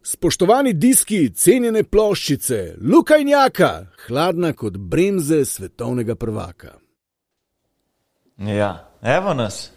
Spoštovani diski, cenjene ploščice, Luka in Jaka, hladna kot bremze svetovnega prvaka. Ja, evo nas.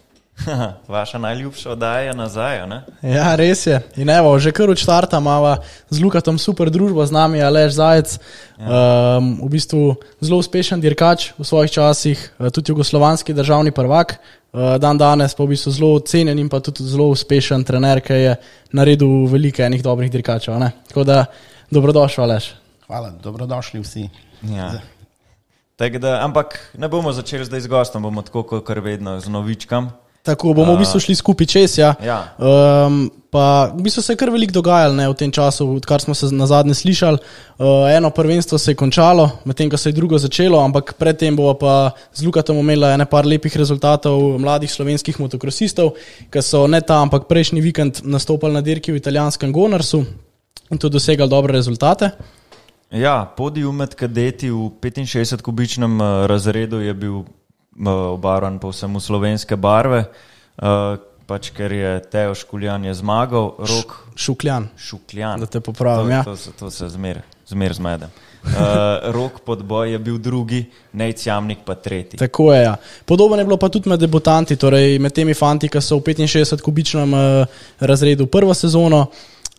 Vaša najljubša oddaja je nazaj, ne? Ja, res je. In evo, že kar od štarta imava z Lukatom super družbo, z nami Aleš Zajec, v bistvu zelo uspešen dirkač v svojih časih, tudi jugoslovanski državni prvak, dan danes pa v bistvu zelo cenjen in pa tudi zelo uspešen trener, ki je naredil veliko enih dobrih dirkačev, ne? Tako da, dobrodošel, Aleš. Hvala, dobrodošli vsi. Ja. Da, ampak ne bomo začeli zdaj z gostom, bomo tako kot vedno z novičkam. Tako, bomo v bistvu šli skupaj čez, ja. Pa v bistvu se je kar veliko dogajalo, ne, v tem času, odkar smo se nazadnje slišali. Eno prvenstvo se je končalo, medtem ko se je drugo začelo, ampak predtem bomo pa z Lukatom imeli ene par lepih rezultatov mladih slovenskih motokrosistov, ki so ne ta, ampak prejšnji vikend nastopali na dirki v italijanskem Gonarsu in tudi dosegali dobre rezultate. Ja, podij med kadeti v 65-kubičnem razredu je bil obarvan povsem v slovenske barve, pač ker je Teo Škuljan je zmagal, Rok Šukljan, da te popravim, ja. To se zmer zmedem. Rok Podboj je bil drugi, Nejc Jamnik pa tretji. Tako je, ja. Podobno je bilo pa tudi med debutanti, torej med temi fanti, ki so v 65-kubičnem razredu prvo sezono.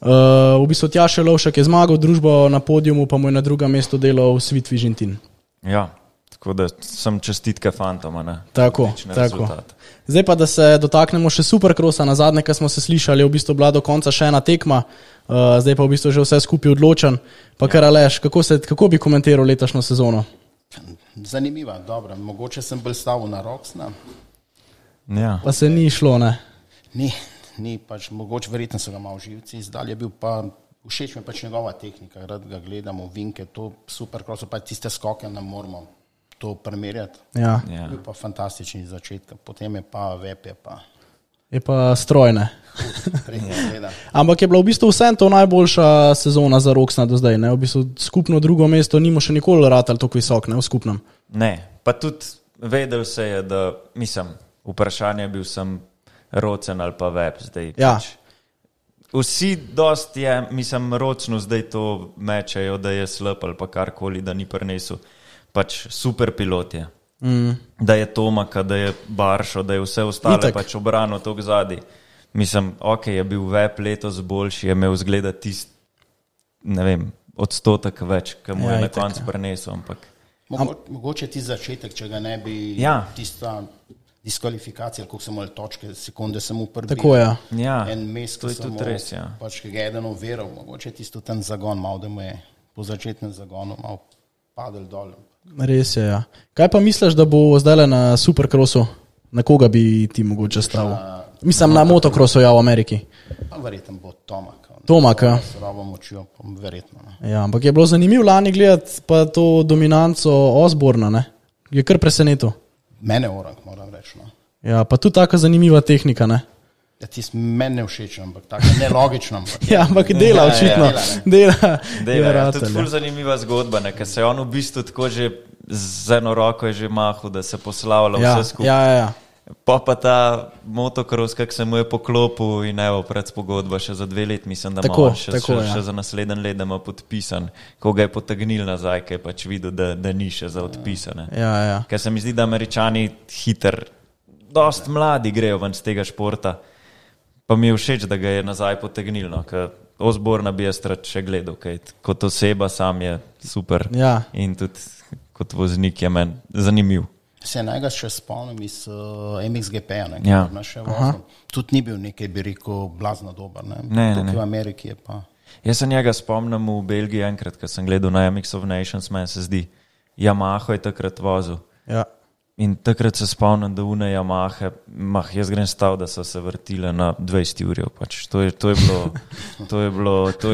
V bistvu Tjaše Lovšek je zmagal družbo na podiumu, pa mu je na drugem mestu delal Svit Vižintin. Ja. Tako da sem čestitke fantoma. Tako. Zdaj pa, da se dotaknemo še Supercrossa, na zadnje, ko smo se slišali, je v bistvu bila do konca še ena tekma, zdaj pa v bistvu že vse skupaj odločen. Pa kar Aleš, kako bi komentiral letošnjo sezono? Zanimiva, dobro. Mogoče sem bolj stavil na Roxna. Ja. Pa se ni šlo, ne? Ni pač, mogoče verjetno so ga malo živci izdali, je bil pa, všeč mi pač njegova tehnika, rad ga gledamo, vinke, to Supercrossu, pa tiste skoke nam moramo to primerjati. Ja. Bil pa fantastični začetek, potem je pa Vep je pa strojne. Ampak je bila v bistvu vsem to najboljša sezona za Roxna do zdaj, ne? V bistvu skupno drugo mesto nimo še nikoli ratal tako visok, ne, v skupnem. Ne, pa tudi vedel se je, da, mislim, vprašanje bil sem Rocen ali pa Vep zdaj. Ja. Vsi dost je, mislim, Rocnu zdaj to mečejo, da je slab ali pa karkoli, da ni prinesel. Pač super pilot je. Da je Tomaka, da je Baršo, da je vse ostale pač obrano tok zadaj. Mislim, je bil Vep letos boljši, je imel zgleda tist, ne vem, odstotek več, ki mu je na koncu prinesel, ampak. Mogoče ti začetek, če ga ne bi tista diskvalifikacija, koliko so imeli točke, sekunde samo prvi. Tako je. Ja, en mes, to je tudi res, ja. Pač, ki ga je eden overal, mogoče tisto ten zagon malo, da mu je po začetnem zagonu malo padel dol. Res je, ja. Kaj pa misliš, da bo zdaj na Supercrossu? Na koga bi ti mogoče stavil? Mislim, na motocrossu, ja, v Ameriki. Verjetno bo Tomak. Tomak, ja. Slabo močijo, verjetno. Ne. Ja, ampak je bilo zanimivo lani gledati pa to dominanco Osborna, ne? Je kar presenetil. Mene orang, moram reči, no. Ja, pa tudi taka zanimiva tehnika, ne? Ja, tisti meni ne všeč, ampak tako nelogično. Ja, ampak dela očitno. Dela. Ja, tudi ful zanimiva zgodba, ker se on v bistvu tako že z eno roko je že mahal, da se poslavlja vse skupaj. Ja. Pa ta motocross, kak se mu je poklopil in evo, predpogodba še za 2 let, mislim, da ima še za naslednji let, da ima podpisan, ko ga je potegnil nazaj, ker je pač videl, da ni še za odpisane. Ja. Ker se mi zdi, da Američani dost mladi grejo ven z tega športa. Pa mi je všeč, da ga je nazaj potegnil, no, ker Osborna bi jaz rad še gledal, kaj kot oseba sam je super in tudi kot voznik je meni zanimiv. Se njega še spomnim iz MXGP-ja, tudi ni bil nekaj, bi rekel, blazno dober, ne? Tukaj v Ameriki je pa. Jaz se njega spomnim v Belgiji enkrat, ko sem gledal na MX of Nations, meni se zdi, Yamaha je takrat vozil. Ja. In takrat se spomnim, da une Yamahe, jaz grem stav, da so se vrtile na 20 urjev, pač. To je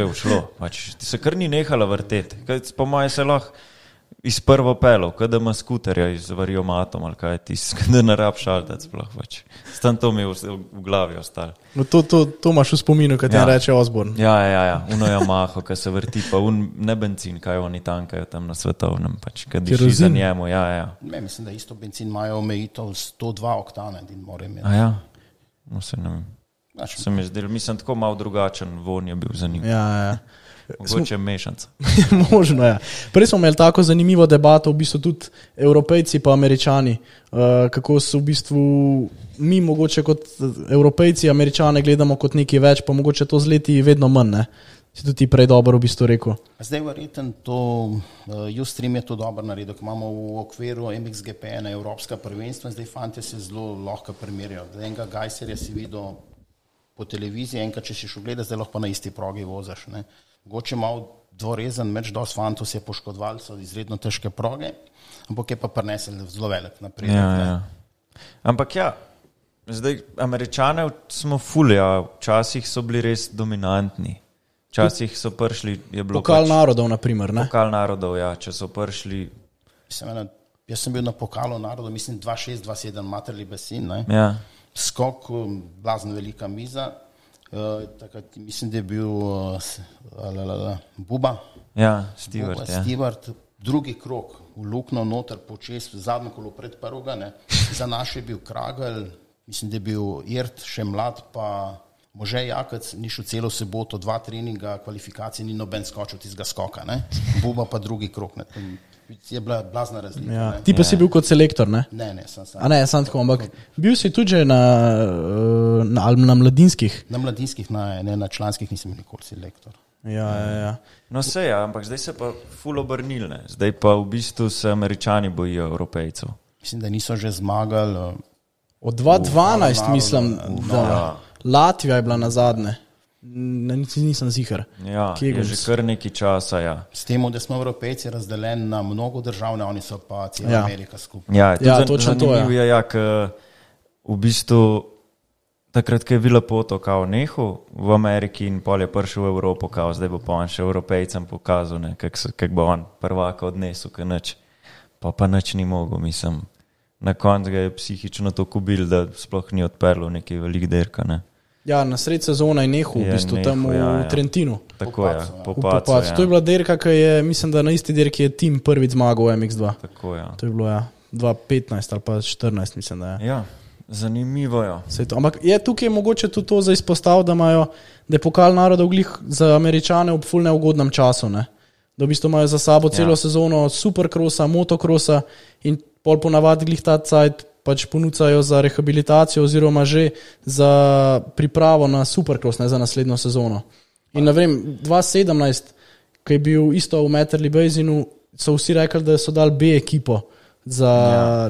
ušlo, pač. Ti se kar ni nehala vrteti, po moje se lahko iz prvo pelov, kada ima skuterja iz variomatom, ali kaj ti, kada ne rab šaltec, pač. Stan to mi je v glavi ostalo. No to imaš v spominu, kad ti reče Osborn. Ja, uno Yamaho, kad se vrti, pa ne benzin, kaj oni tankajo tam na svetovnem, pač, kad diši za njemu, ja. Ne, mislim, da isto benzin imajo omejitev 102 oktane, din more imeti. A ja? No se ne vem. Se mi zdel, mislim, tako malo drugačen von je bil za njim. Ja. Mogoče mešanca. Možno je. Prej smo imeli tako zanimivo debato, v bistvu tudi Evropejci pa Američani, kako so v bistvu mi mogoče kot Evropejci Američane gledamo kot nekaj več, pa mogoče to z leti vedno manj, ne? Si tudi prej dobro v bistvu rekel. Zdaj verjetno to, Ustream je to dobro naredil, ko imamo v okviru MXGP na Evropska prvenstva, zdaj fantje se zelo lahko primerjajo. Enega Gajserja si videl po televiziji, enkrat če si šel gledati, zdaj lahko na isti progi vozaš. Ne? Mogoče malo dvorezen meč, dosti fantov se je poškodovali, so izredno težke proge, ampak je pa prinesel zelo velik napredek. Ja. Ampak ja, zdaj Američane smo ful, ja, včasih so bili res dominantni. Včasih so prišli, je bilo Pokal narodov, na primer, ne? Pokal narodov, ja, če so prišli. Jaz sem bil na Pokalu narodov, mislim 2-6-2-7 Materli Basin, ne? Ja. Skok, blazno velika miza, takrat mislim, da je bil Buba. Ja, Stewart. Drugi krog, v lukno noter, počes, zadnjo kolo pred prvega, ne? Za naš je bil Kragel, mislim, da je bil Irt, še mlad, pa Može Jakec, ni šel celo soboto, 2 treninga, kvalifikacije, ni noben skočil tistega skoka, ne? Buba pa drugi krog, ne? Je bila blazna razlika. Ja. Ti pa si bil kot selektor, ne? Ne, sem. A ne, sem tako, ampak bil si tudi že na mladinskih? Na mladinskih, ne, na članskih nisem nikoli selektor. Ja. No se je, ampak zdaj se pa ful obrnil, ne? Zdaj pa v bistvu se Američani bojijo Evropejcev. Mislim, da niso že zmagali. Od 2012 mislim, da Latvija je bila na zadnje. Nisem ziher. Ja, je že kar nekaj časa, ja. S tem, da smo Evropejci razdeljeni na mnogo držav, oni so pa cela Amerika skupaj. Ja, točno to je. Ja, v bistvu takrat, ko je Vila Poto kao nehal v Ameriki in pol je prišel v Evropo, kao zdaj bo pa on še Evropejcem pokazal, kak bo on prvaka odnesel, kaj nič. Pa nič ni mogel, mislim. Na koncu ga je psihično to kubil, da sploh ni odperlo nekaj velik derka, ne. Ja, na sred sezona je nehal, v bistvu tam v Trentinu. Tako je, po pacu. To je bila derka, ki je, mislim, da na isti derki je tim prvič zmagal v MX2. Tako je. To je bilo, 2015 ali pa 2014, mislim, da je. Ja, zanimivo je. Ampak je tukaj mogoče tudi to za izpostav, da je Pokal narodov glih za Američane ob ful neugodnem času, ne? Da v bistvu imajo za sabo celo sezono superkrosa, motokrosa in pol ponavadi glih ta cajt pač ponucajo za rehabilitacijo oziroma že za pripravo na supercross, ne za naslednjo sezono. In ne vem, 2017, ko je bil isto v Matterley Basinu, so vsi rekli, da so dali B ekipo.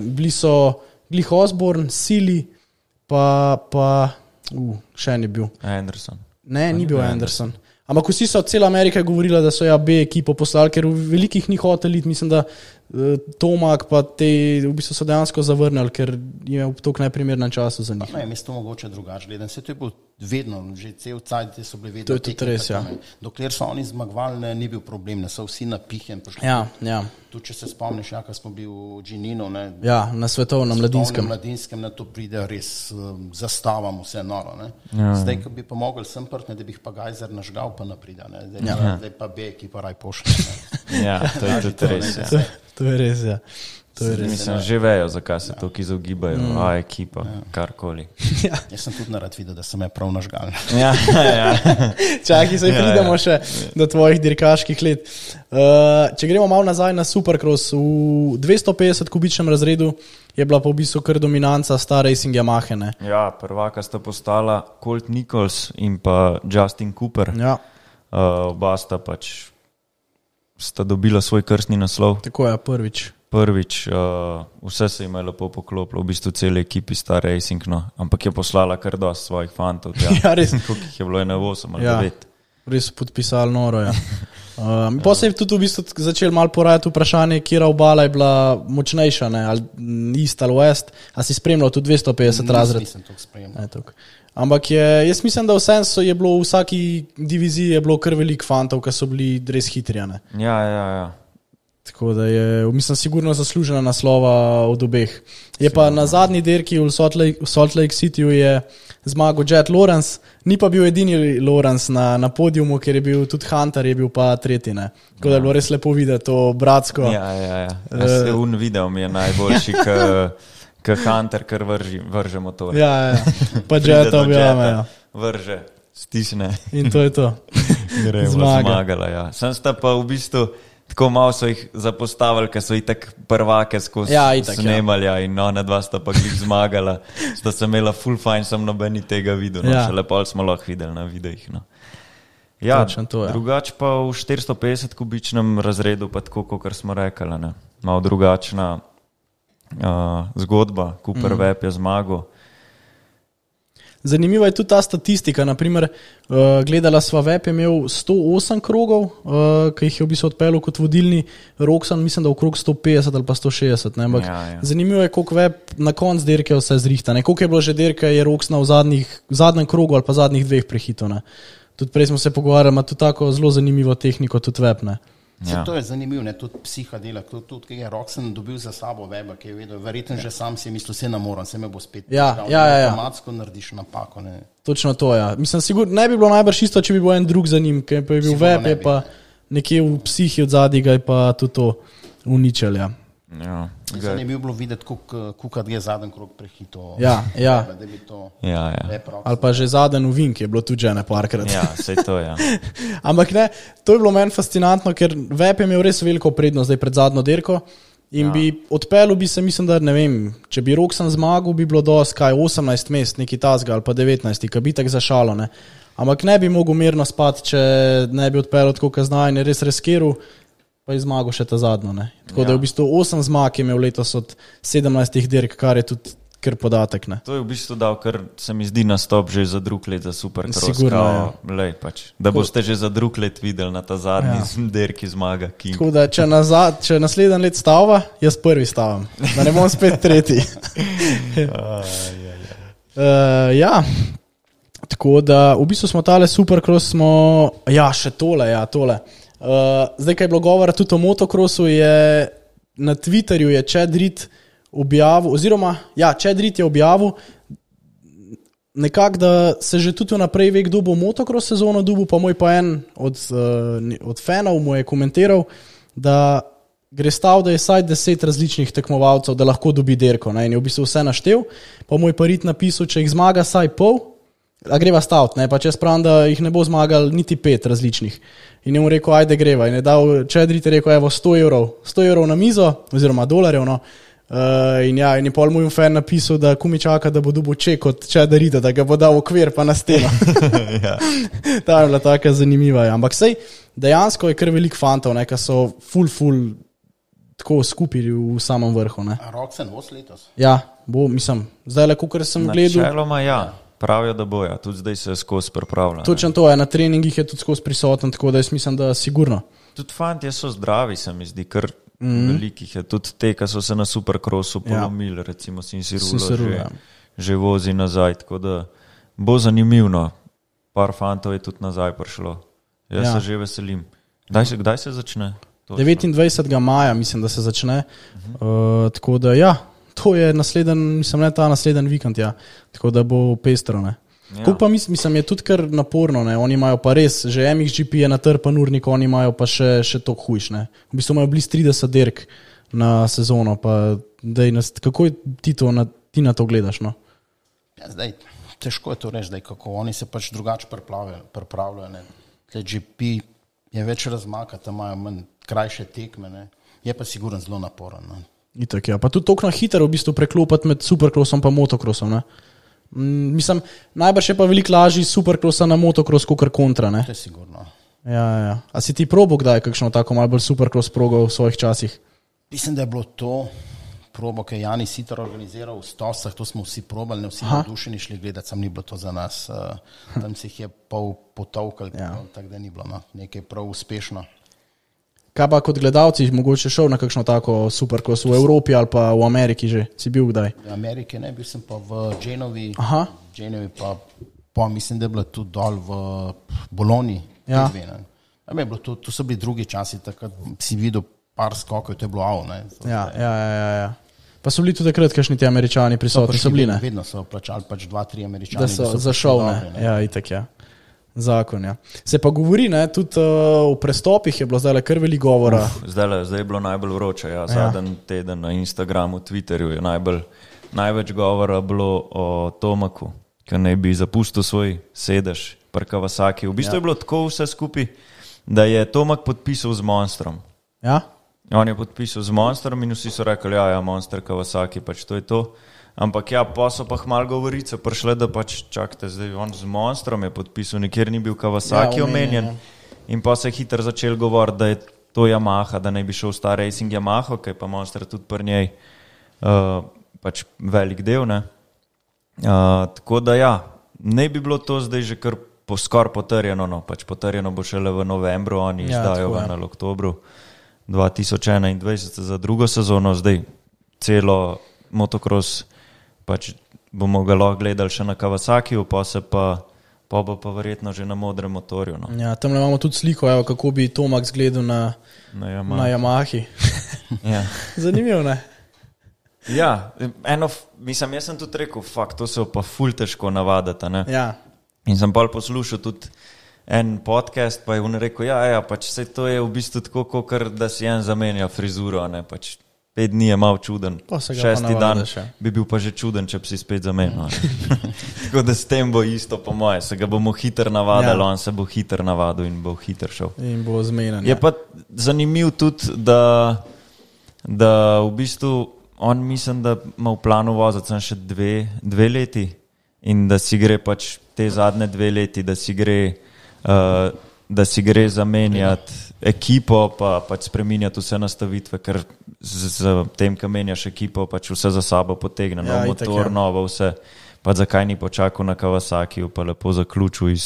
Bili so glih Osborne, Silly, pa še en je bil. Anderson. Ne, ni bil Anderson. Ampak vsi so od cela Amerike govorila, da so B ekipo poslali, ker v velikih ni hotel iti, mislim, da Tomak pa te v bistvu so dejansko zavrnili, ker je v tok najprimernem času za njih. Ne, mesto mogoče drugače gledam. Vse to je bilo vedno, že cel cajt so bili vedno. To je tudi res, ja. Dokler so oni zmagovali, ni bil problem, ne so vsi napihen. Ja. Tu, če se spomniš, ko smo bili v Džininu, ne. Ja, na svetovnem mladinskem. Na to pride res zastavam vse noro, ne. Zdaj, ko bi pa mogli sem prtne, da bi jih pa Gajzer nažgal, pa naprida, ne. Zdaj pa B ekipa raj pošle. Ja, to je tudi res, ja. To je res, ja. Mislim, že vejo, zakaj se to izogibajo, ekipa, karkoli. Jaz sem tudi narad videl, da sem je prav nažgal. Ja. Čakaj, se pridemo še do tvojih dirkaških let. Če gremo malo nazaj na Supercross, v 250 kubičnem razredu je bila pa v bistvu kar dominanca Star Racing Yamahe, ne? Ja, prvaka sta postala Colt Nichols in pa Justin Cooper. Ja. Oba sta pač sta dobila svoj krstni naslov. Tako je, prvič, vse se jim je lepo poklopilo, v bistvu cele ekipi Star Racing, no. Ampak je poslala kar dosti svojih fantov. Ja, res. Koliko jih je bilo, 8 ali 9. Res podpisali noro, ja. Pa se je tudi v bistvu začel malo porajati vprašanje, kjera obala je bila močnejša, ne, ali East ali West, a si spremljal tudi 250 razred? Nisem to spremljal. Ampak jaz mislim, da je bilo v vsaki diviziji je bilo kar veliko fantov, ki so bili res hitri, ne. Ja. Tako da je, mislim, sigurno zaslužena naslova od obeh. Je pa na zadnji dirki v Salt Lake Cityju je zmagal Jet Lawrence, ni pa bil edini Lawrence na podiumu, ker je bil tudi Hunter, je bil pa tretji, ne. Tako da je bilo res lepo videti to bratsko. Ja. Se video mi je najboljši, Hunter, ker vrže motor. Ja. Pa Jet objame, ja. vrže, stisne. In to je to. Zmagala, ja. Sem sta pa v bistvu tako malo so jih zapostavili, ker so jih tak prvake skozi snemali in ona dva sta pa glih zmagala. Sta se imela full fine, sem nobeni tega videl, no. Šele pol smo lahko videli na videih. No. Ja, drugač pa v 450 kubičnem razredu pa tako, kot smo rekli, ne. Malo drugačna zgodba, Cooper Webb je zmagal. Zanimiva je tudi ta statistika, naprimer gledala sva Webb je imel 108 krogov, ki jih je v bistvu odpeljal kot vodilni, Roczen mislim, da okrog 150 ali pa 160, ne, ampak zanimivo je, koliko Webb na konc dirke vse zrihta, ne, koliko je bilo že dirke, je Roczena v zadnjem krogu ali pa zadnjih dveh prehitov, ne. Tudi prej smo se pogovarjali, ima tudi tako zelo zanimivo tehniko, tudi Webb, ne. Ja. To je zanimivo, ne, tudi psiha dela, tudi kaj je Roczen dobil za sabo Webba, ki je vedel, verjetno že sam si je mislil, se namoram, se me bo spet automatsko narediš napako. Ne. Točno to, ja. Mislim, sigurno ne bi bilo najbrž isto, če bi bil en drug za njim, ker pa je bil Webb, je pa nekje v psihi od zadnjega je pa tudi to uničil, ja. Ja. Zanimivo bilo videti, koliko je zadnji krog prehito. Ja. Da bi to ali pa že zadnji uvink je bilo tudi že neparkrat. Ja, sej to, ja. Ampak ne, to je bilo meni fascinantno, ker Webb je imel res veliko prednost zdaj pred zadnjo dirko in bi odpeljal bi se, mislim, da ne vem, če bi Roczen zmagal, bi bilo dosti 18 mest, neki tasga ali pa 19, ki bi tak zašalo, ne. Ampak ne bi mogel mirno spati, če ne bi odpeljal tako kaznaj in je res reskiral, pa je zmagal še ta zadnjo, ne. Tako da je v bistvu 8 zmag imel letos od 17 dirk, kar je tudi kar podatek, ne. To je v bistvu dal, ker se mi zdi nastop že za drug let za Supercross. Sigurno, lej, pač. Da boste že za drug let videli na ta zadnji dirki zmaga King. Tako da, če naslednji let stava, jaz prvi stavam. Da ne bom spet tretji. Ja. Tako da, v bistvu smo tale Supercross še tole. Zdaj, kaj je bilo govora tudi o motocrossu, je na Twitterju je Chad Reed objavil, oziroma Chad Reed je objavil nekako, da se že tudi naprej ve, kdo bo motocross sezono dobil, pa moj pa en od fanov mu je komentiral, da gre stav, da je saj 10 različnih tekmovalcev, da lahko dobi dirko, ne, in je v bistvu vse naštel, pa moj pa Reed napisal, če jih zmaga saj pol, a greva stavt, ne, pa če spravim, da jih ne bo zmagal niti 5 različnih. In je mu rekel, ajde greva. In je dal, Chad Reed je rekel, evo, 100 evrov na mizo, oziroma dolarjev, no. In je pol moj fan napisal, da kumi čaka, da bo dobil ček od Chada Reeda, da ga bo dal v okvir pa na steno. Ta je bila taka zanimiva. Ja. Ampak sej, dejansko je kar veliko fantov, ne, ki so ful tako skupili v samem vrhu. Ne. A Roczen bo letos? Ja, bo, mislim, zdaj le, kakor sem gledal. Načeloma, ja. Pravijo, da boja, tudi zdaj se skozi pripravlja. Točno to je, na treningih je tudi skozi prisoten, tako da jaz mislim, da sigurno. Tudi fantje so zdravi, se mi zdi, ker velikih je. Tudi te, ki so se na Supercrossu polomili, recimo Sinsirulo že vozi nazaj, tako da bo zanimivno. Par fantov je tudi nazaj prišlo. Jaz se že veselim. Kdaj se začne? 29. maja mislim, da se začne. Tako da to je ta naslednji vikend, ja. Tako da bo pestro, ne. Ja. Pa mislim, je tudi kar naporno, ne. Oni imajo pa res, že MXGP je natrpan urnik, oni imajo pa še to hujš, ne. V bistvu imajo bliz 30 dirk na sezono, pa kako ti na to gledaš, no? Ja, zdaj, težko je to reči, zdaj, kako oni se pač drugače pripravljajo, ne. GP je več razmaka, tam imajo manj krajše tekme, ne. Je pa sigurno zelo naporen, ne. Itak, ja. Pa tudi toliko na hitro v bistvu preklopati med Supercrossom pa motocrossom, ne. Mislim, najbrž je pa veliko lažji Supercrossa na motocross kot kontra, ne. To je sigurno. Ja. A si ti probo kdaj kakšno tako malo bolj Supercross progo v svojih časih? Mislim, da je bilo to probo, ki je Jani Sitar organiziral v Stosah, to smo vsi probali, ne vsi navdušeni šli gledati, sam ni bilo to za nas. Tam se jih je pol potovkal, tako da ni bilo nekaj prav uspešno. Kaj pa kot gledalci, mogoče šel na kakšno tako Supercross v Evropi ali pa v Ameriki že? Si bil kdaj? V Ameriki ne, bil sem pa v Genovi. Genovi pa mislim, da je bilo tudi dol v Bologni. Ja. To so bili drugi časi, takrat si videl par skokov, to je bilo ne. Ja. Pa so bili tudi takrat kakšni ti Američani prisotni, so bili, ne? Vedno so plačali pač 2-3 Američani. Da so za šov, ne? Ja, itak, ja. Zakon, ja. Se pa govori, ne, tudi v prestopih je bilo zdaj kar veliko govora. Zdaj je bilo najbolj vroče, ja. Zadnji teden na Instagramu, Twitterju je največ govora bilo o Tomaku. ki naj bi zapustil svoj sedež pri Kawasaki. V bistvu je bilo tako vse skupaj, da je Tomak podpisal z Monstrom. Ja? On je podpisal z Monstrom in vsi so rekli, ja, Monster Kawasaki, pač to je to. Ampak ja, pa so pa malo govorice prišle, da pač čakajte, zdaj on z Monstrom je podpisal, nikjer ni bil Kawasaki omenjen. In pa se je hitro začel govoriti, da je to Yamaha, da naj bi šel Star Racing Yamaha, ki je pa Monster tudi pri njej pač velik del, ne. Tako da ja, ne bi bilo to zdaj že kar skoraj potrjeno, no, pač potrjeno bo šele v novembru, oni izdajo ga na oktobru 2021 za drugo sezono, zdaj celo motocross pač bomo ga lahko gledali še na Kawasakiju, pa bo pa verjetno že na modrem motorju. No. Ja, tam imamo tudi sliko, evo, kako bi Tomak zgledal na Yamahi. Ja. Zanimivo, ne? Ja, mislim, jaz sem tudi rekel, to se pa ful težko navadati, ne? Ja. In sem pa poslušal tudi en podcast, pa je on rekel, ja, pač vse to je v bistvu tako, kakor da si en zamenja frizuro, ne, pač 5 dni je malo čuden, 6. dan bi bil pa že čuden, če bi si spet zamenil. Tako da s tem bo isto po moje, se ga bomo hitro navadili, on se bo hitro navadil in bo hitro šel. In bo zmenjen. Je pa zanimiv tudi, da v bistvu on mislim, da ima v planu voziti sem še dve leti in da si gre pač te zadnje 2 leti, da si gre zamenjati ekipo, pa pač spreminjati vse nastavitve, ker z tem, ko menjaš ekipo, pač vse za sabo potegne, nov motor, novo vse, pa zakaj ni počakal na Kawasakiju, pa lepo zaključil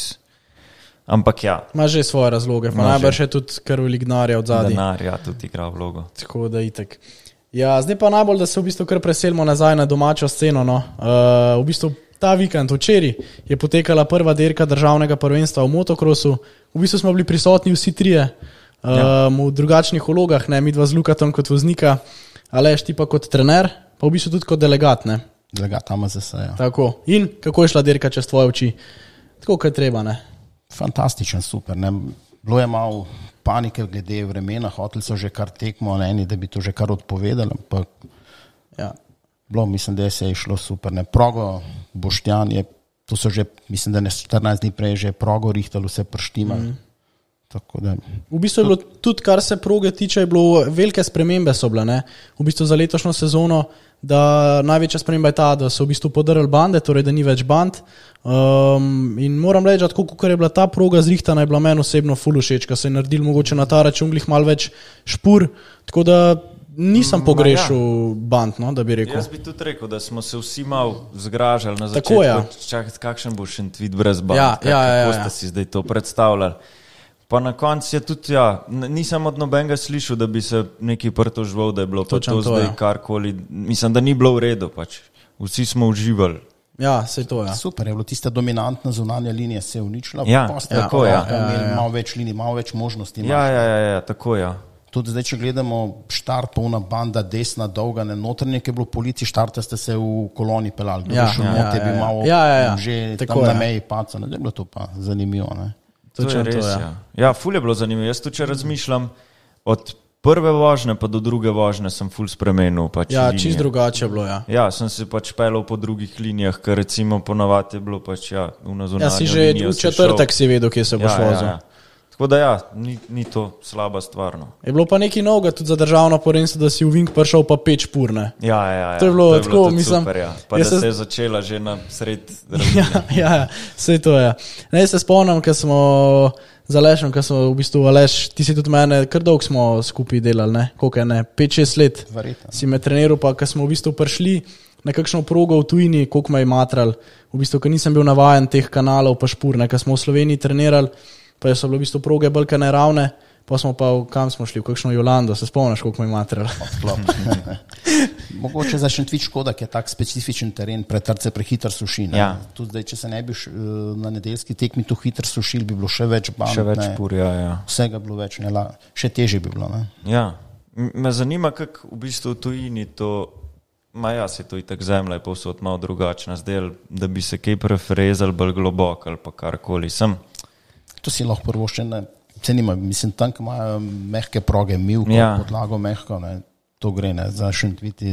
ampak ja. Ima že svoje razloge, pa najbrž je tudi kar velik denarja od zadaj. Denar, ja, tudi igra vlogo. Tako da itak. Ja, zdaj pa najbolj, da se v bistvu kar preselimo nazaj na domačo sceno, no. V bistvu ta vikend, včeraj, je potekala prva dirka državnega prvenstva v motokrosu. V bistvu smo bili prisotni vsi trije v drugačnih vlogah, ne, midva z Lukatom kot voznika, Aleš ti pa kot trener, pa v bistvu tudi kot delegat, ne. Delegat AMZS, ja. Tako. In kako je šla dirka čez tvoje oči? Tako, kaj treba, ne? Fantastičen, super, ne. Bilo je malo panike glede vremena, hoteli so že kar tekmo, eni, da bi to že kar odpovedali, ampak ja. Bilo, mislim, da se je šlo super. Ne. Progo, Boštjan je, to so že, mislim, da ne 14 dni prej že progo rihtali, vse prštima. Tako da. V bistvu je bilo tudi, kar se proge tiče, je bilo velike spremembe so bile, ne. V bistvu za letošnjo sezono, da največja sprememba je ta, da so v bistvu podrli bande, torej da ni več band. In moram reči, da tako, kot je bila ta proga zrihtana, je bila meni osebno ful všeč, ker se je naredil mogoče na ta račun glih malo več špur, tako da nisem pogrešal band, no, da bi rekel. Jaz bi tudi rekel, da smo se vsi malo zgražali na začetku. Tako, ja. Čakaj, kakšen bo Šentvid brez band? Kako ste si zdaj to predstavljali? Pa na koncu je tudi, ja, nisem od nobenega slišal, da bi se neki pritoževal, da je bilo pa to zdaj karkoli. Mislim, da ni bilo v redu, pač. Vsi smo uživali. Ja, sej to, ja. Super, je bilo tista dominantna zunanja linija se je uničila. Ja, tako, ja. Malo več linij, malo več možnosti. Ja, tako, ja. Tudi zdaj, če gledamo štart, polna banda, desna, dolga, ne, notranje, ki je bilo polici, štarta ste se v koloni pelali. Kdo bi šel noter, bi malo že tam na meji paca. Ne, je bilo to pa zanimivo, ne. To je res, ja. Ja, ful je bilo zanimivo. Jaz tudi, če razmišljam, od prve vožnje pa do druge vožnje sem ful spremenil. Pač ja, čist drugače je bilo, ja. Ja, sem se pač pelal po drugih linijah, ker recimo ponavadi je bilo pač, ja, v nazunanjo linijo. Ja, si že v četrtek si vedel, kje se boš vozil. Ja. Tako da ja, ni to slaba stvar. No. Je bilo pa nekaj novega tudi za državno prvenstvo, da si v Vink prišel pa 5 špur, ne? Ja. To je bilo tako, mislim. Super, ja. Pa da se je začela že na sred ravnine. Ja, sej to je. Ne, se spomnim, ko smo z Alešem, ko smo v bistvu, Aleš, ti si tudi mene, kar dolgo smo skupaj delali, ne? Koliko je, ne? 5-6 let. Verjetno. Si me treniral, pa ko smo v bistvu prišli na kakšno progo v tujini, koliko me je matral, v bistvu, ko nisem bil navajen teh kanalov pa špur, ne? Ko smo v Sloveniji trenirali, pa so bile v bistvu proge bolj neravne, pa smo pa, kam smo šli, v kakšno Jolando, se spomniš, koliko me je material. Mogoče za Šentvid škoda, ki je tak specifičen teren, pretrce prehiter suši. Ja. Tudi zdaj, če se ne bi na nedeljski tekmi tu hiter sušil, bi bilo še več band. Še več špur, ja. Vsega bilo več, ne, še težje bi bilo. Ne. Ja, me zanima, kako v bistvu v tujini to, se to itak zemlja je povsod malo drugačna, zdaj, da bi se kaj prefrezali bolj globoko ali pa karkoli sem. To si lahko prvoščen, se nima, mislim, tam, ko imajo mehke proge, milko, podlago mehko, ne, to gre, ne, za Šentvid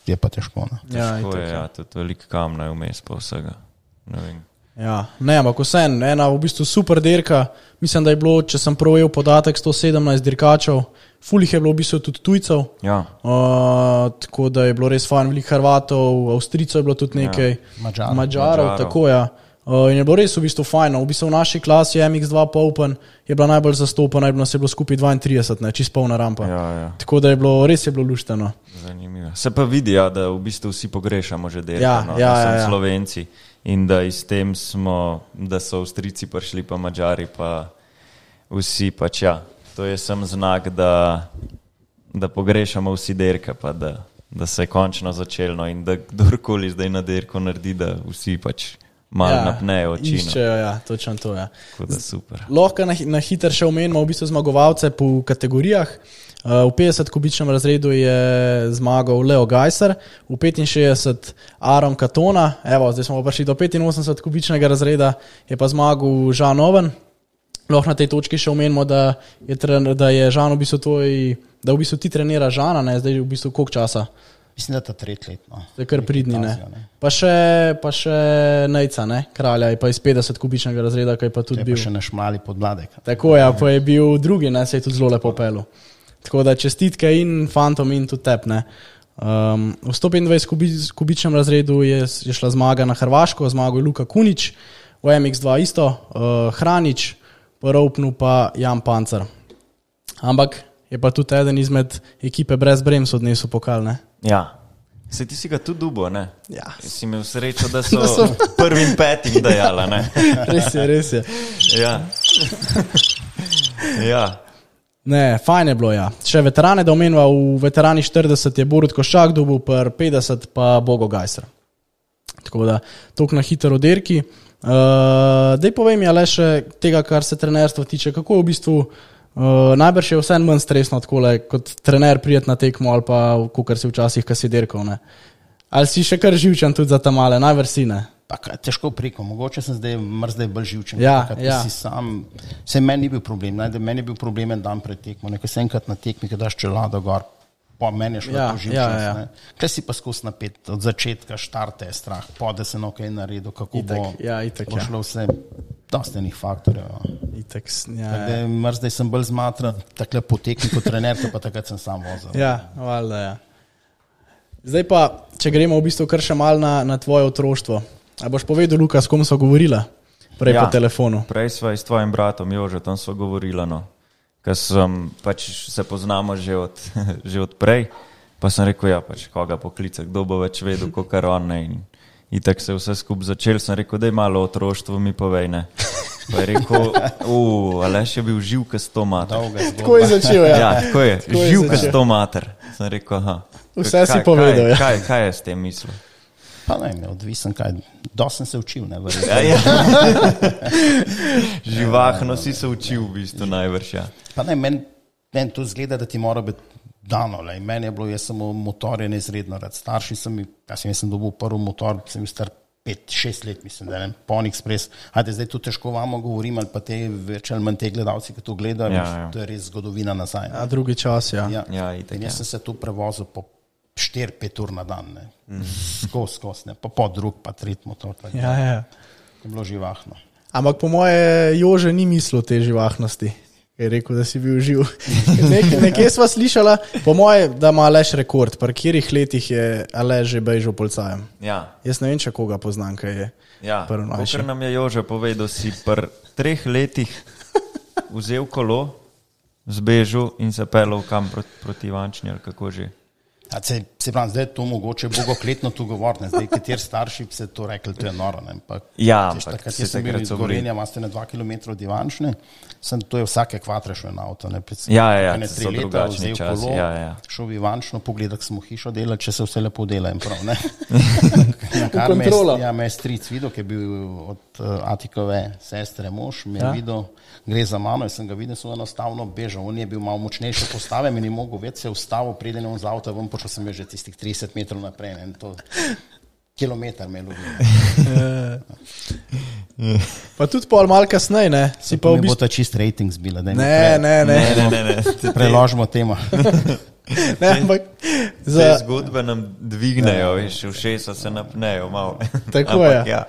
je pa težko. Ne. Težko je, ja, tudi veliko kamna je vmes pa vsega. Ja, ne, ampak vsem, ena v bistvu super dirka, mislim, da je bilo, če sem provejel podatek, 117 dirkačev, fulih je bilo v bistvu tudi tujcev, tako da je bilo res fajn, veliko Hrvatov, Avstrijcev je bilo tudi nekaj, Mađarov, tako ja. In je bilo res v bistvu fajno, v bistvu v naši klasi MX2 Open je bila najbolj zastopana, je bilo skupaj 32, ne, čist polna rampa, tako da je bilo, res je bilo lušteno. Zanimivo. Se pa vidi, da v bistvu vsi pogrešamo že dirko, Slovenci. In da iz tem smo, da so Avstrijci prišli, pa Mađari, pa vsi pač to je sem znak, da pogrešamo vsi dirke, pa da se je končno začelo in da kdorkoli zdaj na dirko naredi, da vsi pač malo napnejo oči. Iščejo, točno to, Tako da super. Lahko na hiter še omenimo v bistvu zmagovalce po kategorijah. V 50-kubičnem razredu je zmagal Leo Gajser, v 65 Aron Katona, zdaj smo pa prišli do 85-kubičnega razreda, je pa zmagal Žan Oven. Lahko na tej točki še omenimo, da je Žan v bistvu ti trenira Žana, ne, zdaj v bistvu koliko časa? Mislim, da je to 3 let. To je kar pridni, ne. Pa še Nejca, ne, kralja, je pa iz 50-kubičnega razreda, kaj pa tudi bil. To je pa še našmali podmladek. Tako pa je bil drugi, ne, se je tudi zelo lepo pelil. Tako da čestitke in fantom in tudi tep, ne. V 125-kubičnem razredu je šla zmaga na Hrvaško, zmagal je Luka Kunič, v MX2 isto, Hranič, po Roupnu pa Jan Pancer. Ampak je pa tudi eden izmed ekipe brez Brems odnesel pokal, ne. Ja, se ti si ga tudi dubo, ne? Ja. Si imel srečo, da so prvim petim dajala, ne? Res je. Ja. Ne, fajn je bilo, Še veterane, da omenila, v veterani 40 je Borut Koščak dobil, per 50 pa Bogo Gajser. Tako da, toliko na hiter o dirki. Daj povej mi, ale še tega, kar se trenerstva tiče, kako v bistvu, najbrž je vse manj stresno takole, kot trener prijet na tekmo ali pa kakor si včasih, kad si dirkal, ne. Ali si še kar živčen tudi za ta male, najbrž si, ne. Težko preko, mogoče sem zdaj bolj živčen. Si sam, meni ni bil problem, meni je bil problem en dan pred tekmo, nekaj se enkrat na tekmi, kad daš čelado gor, pa meni je šlo to živčen. Kaj si pa skos napet, od začetka štarte je strah, da se nekaj naredil, kako bo šlo vse, dosti enih faktorjev. Zdaj sem bolj zmatran, takle po tekmi kot trener, pa takrat sem sam vozil. Valjda, Zdaj pa, če gremo v bistvu kar še malo na tvoje otroštvo. A boš povedal, Luka, s kom sva govorila prej po telefonu? Prej sva s tvojim bratom Jožetom sva govorila, ker pač se poznamo že od prej, pa sem rekel, pač koga poklica, kdo bo več vedel, kakor on, ne, in itak se vse skup začel, sem rekel, daj malo otroštvo mi povej, ne. Pa je rekel, Aleš je bil živ kas to mater. Tako je začel, tako je, živ kas to mater. Sem rekel, vse si povedal, Kaj je s tem mislil? Pa ne, odvisen kaj, dosti sem se učil, ne, Živahno si se učil v bistvu najvrš, Pa ne, meni to zgleda, da ti mora biti dano, meni je bilo, jaz sem motorje neizredno rad, starši sem dobil prvi motor, sem bil star 5-6 let, mislim, da Pony Express, zdaj tu težko vamo govorim, ali pa te več ali manj te gledalci, ki to gledajo, to je res zgodovina nazaj. Drugi čas, in jaz sem se tu prevozil po 4-5 ur na dan, ne. Skos, ne, pa drug, pa tret motor. Je bilo živahno. Ampak po moje Jože ni mislil te živahnosti, je rekel, da si bil živ. Nekje sva slišala, po moje, da ima Aleš rekord, pri katerih letih je Aleš že bežal policajem. Jaz ne vem, če koga poznam, kaj je. Kakor nam je Jože povedal, si pri 3 letih vzel kolo, zbežal in se pelal kam proti Ivančni ali kako že. Se pravi, zdaj je to mogoče bogokletno tu govoriti, zdaj kateri starši bi se to rekli, to je noro. Ampak jaz sem bil iz Gorenja, imate na 2 km od Ivančne, to je vsake kvatre šel na avto. So drugačni časi. Šel v Ivančno, pogledal smo hišo delati, če se vse lepo dela in prav, ne. Me je stric videl, ki je bil od Atikove sestre mož, me je videl, gre za mano, jaz sem ga videl, so enostavno bežal, on je bil malo močnejše postave, mi ni mogel več se ustavil, preden je on z avta, počel sem že tistih 30 metrov naprej, in to kilometer me ljubi. Pa tudi pol malo kasneje, ne? Si pa v bistvu... Mi bo ta čist rating zbila, da ne. Preložimo tema. Te zgodbe nam dvignejo, še v šesa se napnejo malo. Tako je.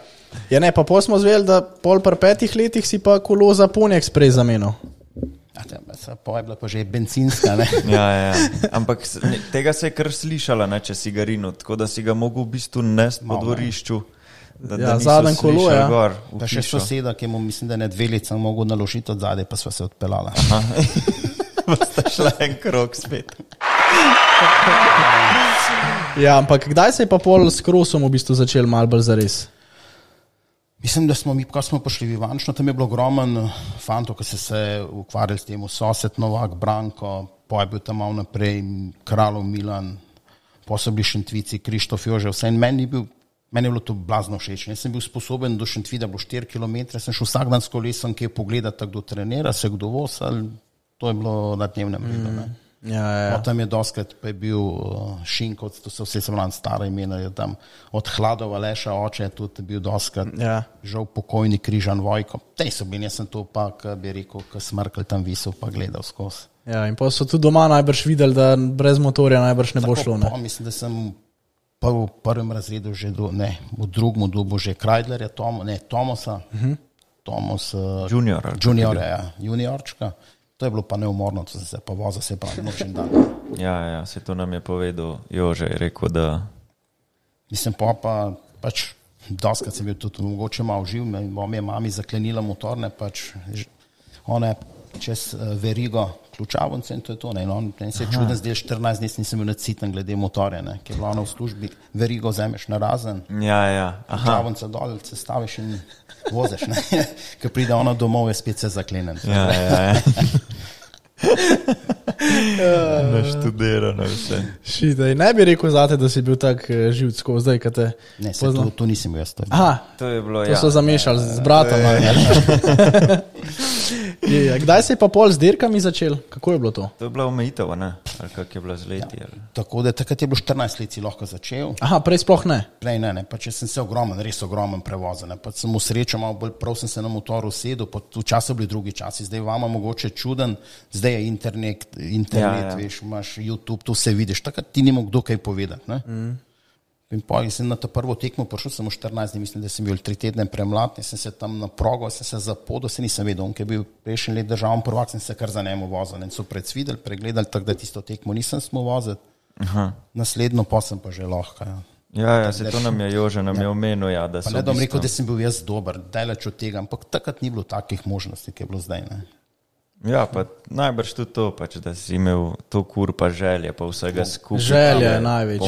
Ja, ne, pa smo zveli, da pol par 5 letih si pa kolo za Pony Express zamenil. Pa je bila pa že bencinska, ne? Ja. Ampak tega se je kar slišala, ne, če si ga rinil, tako da si ga mogel v bistvu nesti po dvorišču. Zaden kolo, ja. Gor, pa še soseda, ki mu mislim, da ne 2 leta mogel naložiti od zadaj, pa sva se odpeljala. Pa sta šla en krog spet. Ja, ampak kdaj se je pa pol s krosom v bistvu začel malo bolj zares? Mislim, da smo mi, ko smo prišli v Ivančno, tam je bilo ogromen fantov, ki so se ukvarjali s tem, Sosed, Novak, Branko, pa je bil tam malo naprej, Kralov Milan, pa so bili Šentvici, Krištof Jože, vse in meni je bilo to blazno všeč. Jaz sem bil sposoben do Šentvida, bilo 4 km, sem šel vsak dan s kolesom, ki je pogledati, kdo trenira, se kdo voz, ali to je bilo na dnevnem redu. Ja. Tam je doskrat, pa je bil Šinkovc, to so vse semlan stara imena, je tam od Hladova Leša oče, tudi bil doskrat, žal pokojni Križan Vojko. Tej so bili, jaz sem to pa, bi rekel, ko Smrkelj tam visel, pa gledal skozi. Ja, in pa so tudi doma najbrž videli, da brez motorja najbrž ne bo šlo. Ne? Mislim, da sem v prvem razredu že, v drugem dobu že Kreidlerja, Tomosa, Tomos juniorčka. To je bilo pa neumorno, to se pa voza se pravi nočen dan. Ja, se to nam je povedal Jože, je rekel, da... Mislim, pač doskrat sem bil tudi mogoče malo živ, bom je mami zaklenila motorne, pač ona čez verigo ključavnice in to je to, ne, in on se je čuden, zdaj 14 dni nisem bil nadsiten glede motorja, ne, ki je bila ona v službi, verigo vzameš na razen, ključavnica dol, se staviš in vozeš, ne, ko pride ona domov, je spet se zaklenen. Ja. Naštudirano vse. Šitaj, ne bi rekel zate, da si bil tak živcko zdaj, kad te ne, to nisem bil jaz. To je bilo, to so zamešali z bratom. Kdaj se je pa pol z dirkami začel? Kako je bilo to? To je bila omejitev, ne? Ali kak je bila z leti? Tako da takrat je bilo 14 let si lahko začel. Prej sploh ne? Prej ne, pa če sem se res ogromen prevozil, pa sem v srečo malo bolj prav sem se na motoru sedel, pa v času bili drugi časi, zdaj vama mogoče čuden, zdaj je internet, veš, imaš YouTube, to vse vidiš, takrat ti nima kdo kaj povedati, ne? In pa sem na to prvo tekmo prišel, sem v 14 dni, mislim, da sem bil 3 tedne premlad, sem se tam na progo, sem se zapodil, se nisem vedel, on, ki je bil prejšnji let državni prvak, sem se kar za njemu vozil in so predsvideli, pregledali, tako da tisto tekmo nisem smo voziti, naslednjo pa sem pa že lahko. Ja, se to nam je Jože, nam je omenil, da so... Pa ne bom rekel, da sem bil jaz dober, daleč od tega, ampak takrat ni bilo takih možnosti, ki je bilo zdaj, ne. Ja, pa najbrž tudi to, pač, da si imel to kur pa želje, pa vsega skupaj. Želje je največji.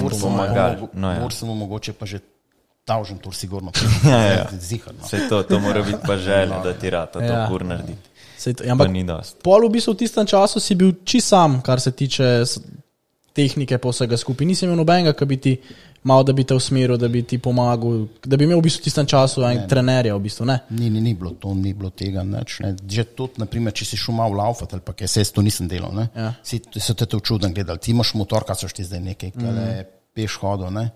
Mor sem mu mogoče pa že tavžen tur sigurno. Ziharno. Sej to mora biti pa želje, da ti rata to kur narediti. Pa ni dost. Pol v bistvu v tistem času si bil čisto sam, kar se tiče tehnike pa vsega skupaj. Nisi imel nobenega, ki bi ti malo, da bi te usmeril, da bi ti pomagal, da bi imel v bistvu v tistem času trenerja v bistvu, ne? Ni bilo tega, neč, ne. Že tudi, naprimer, če si šel malo laufati ali pa kaj, se jaz to nisem delal, ne. So te čuden gledali, ti imaš motor, kaj so ti zdaj nekaj, kaj je peš hodil, ne.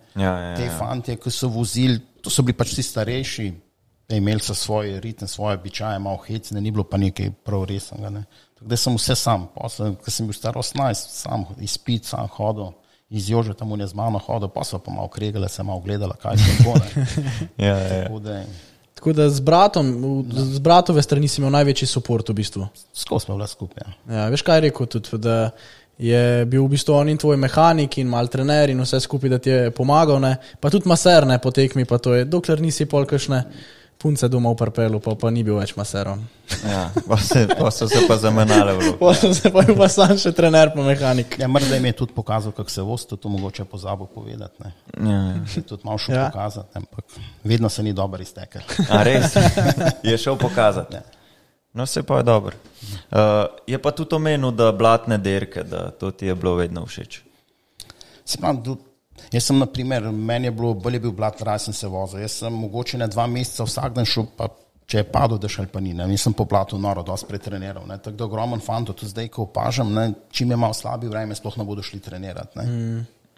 Te fantje, ki so vozili, to so bili pač vsi starejši, imeli so svoj ritem, svoje običaje, malo hecne, ni bilo pa nekaj prav resnega, ne. Tako da sem vse sam, ko sem bil star 18, sam izpit, sam hodil, iz Jože tam je z mano hodil, pa so pa malo kregale, se malo gledala, kaj se tako, ne. Tako da z bratove strani si imel največji support v bistvu. Skozi smo bila skupaj, ja. Veš kaj je rekel tudi, da je bil v bistvu on in tvoj mehanik in mal trener in vse skupaj, da ti je pomagal, ne. Pa tudi maser, ne, po tekmi, pa to je, dokler nisi pol kakšne punce doma v parpelu, pa ni bil več maserom. Ja, pa so se pa zamenjale v luku. Pa so se pa bil pa sam še trener pa mehanik. Ja, morda jim je tudi pokazal, kako se voz, to mogoče pozabil povedati, ne. Ja. Tudi malo šel pokazati, ampak vedno se ni dobro iztekel. A res? Je šel pokazati? No, se pa je dobro. Je pa tudi omenil, da blatne derke, da to ti je bilo vedno všeč. Se pa jaz sem, naprimer, meni je bilo, bolj je bil blat, raj sem se vozil. Jaz sem mogoče na 2 meseca vsak dan šel, pa če je padel dež ali pa ni, ne. Nisem po blatu noro dosti pretreniral, ne. Tako da ogromen fanto, tudi zdaj, ko opažam, ne, čim je malo slabi vreme, sploh ne bodo šli trenirati, ne.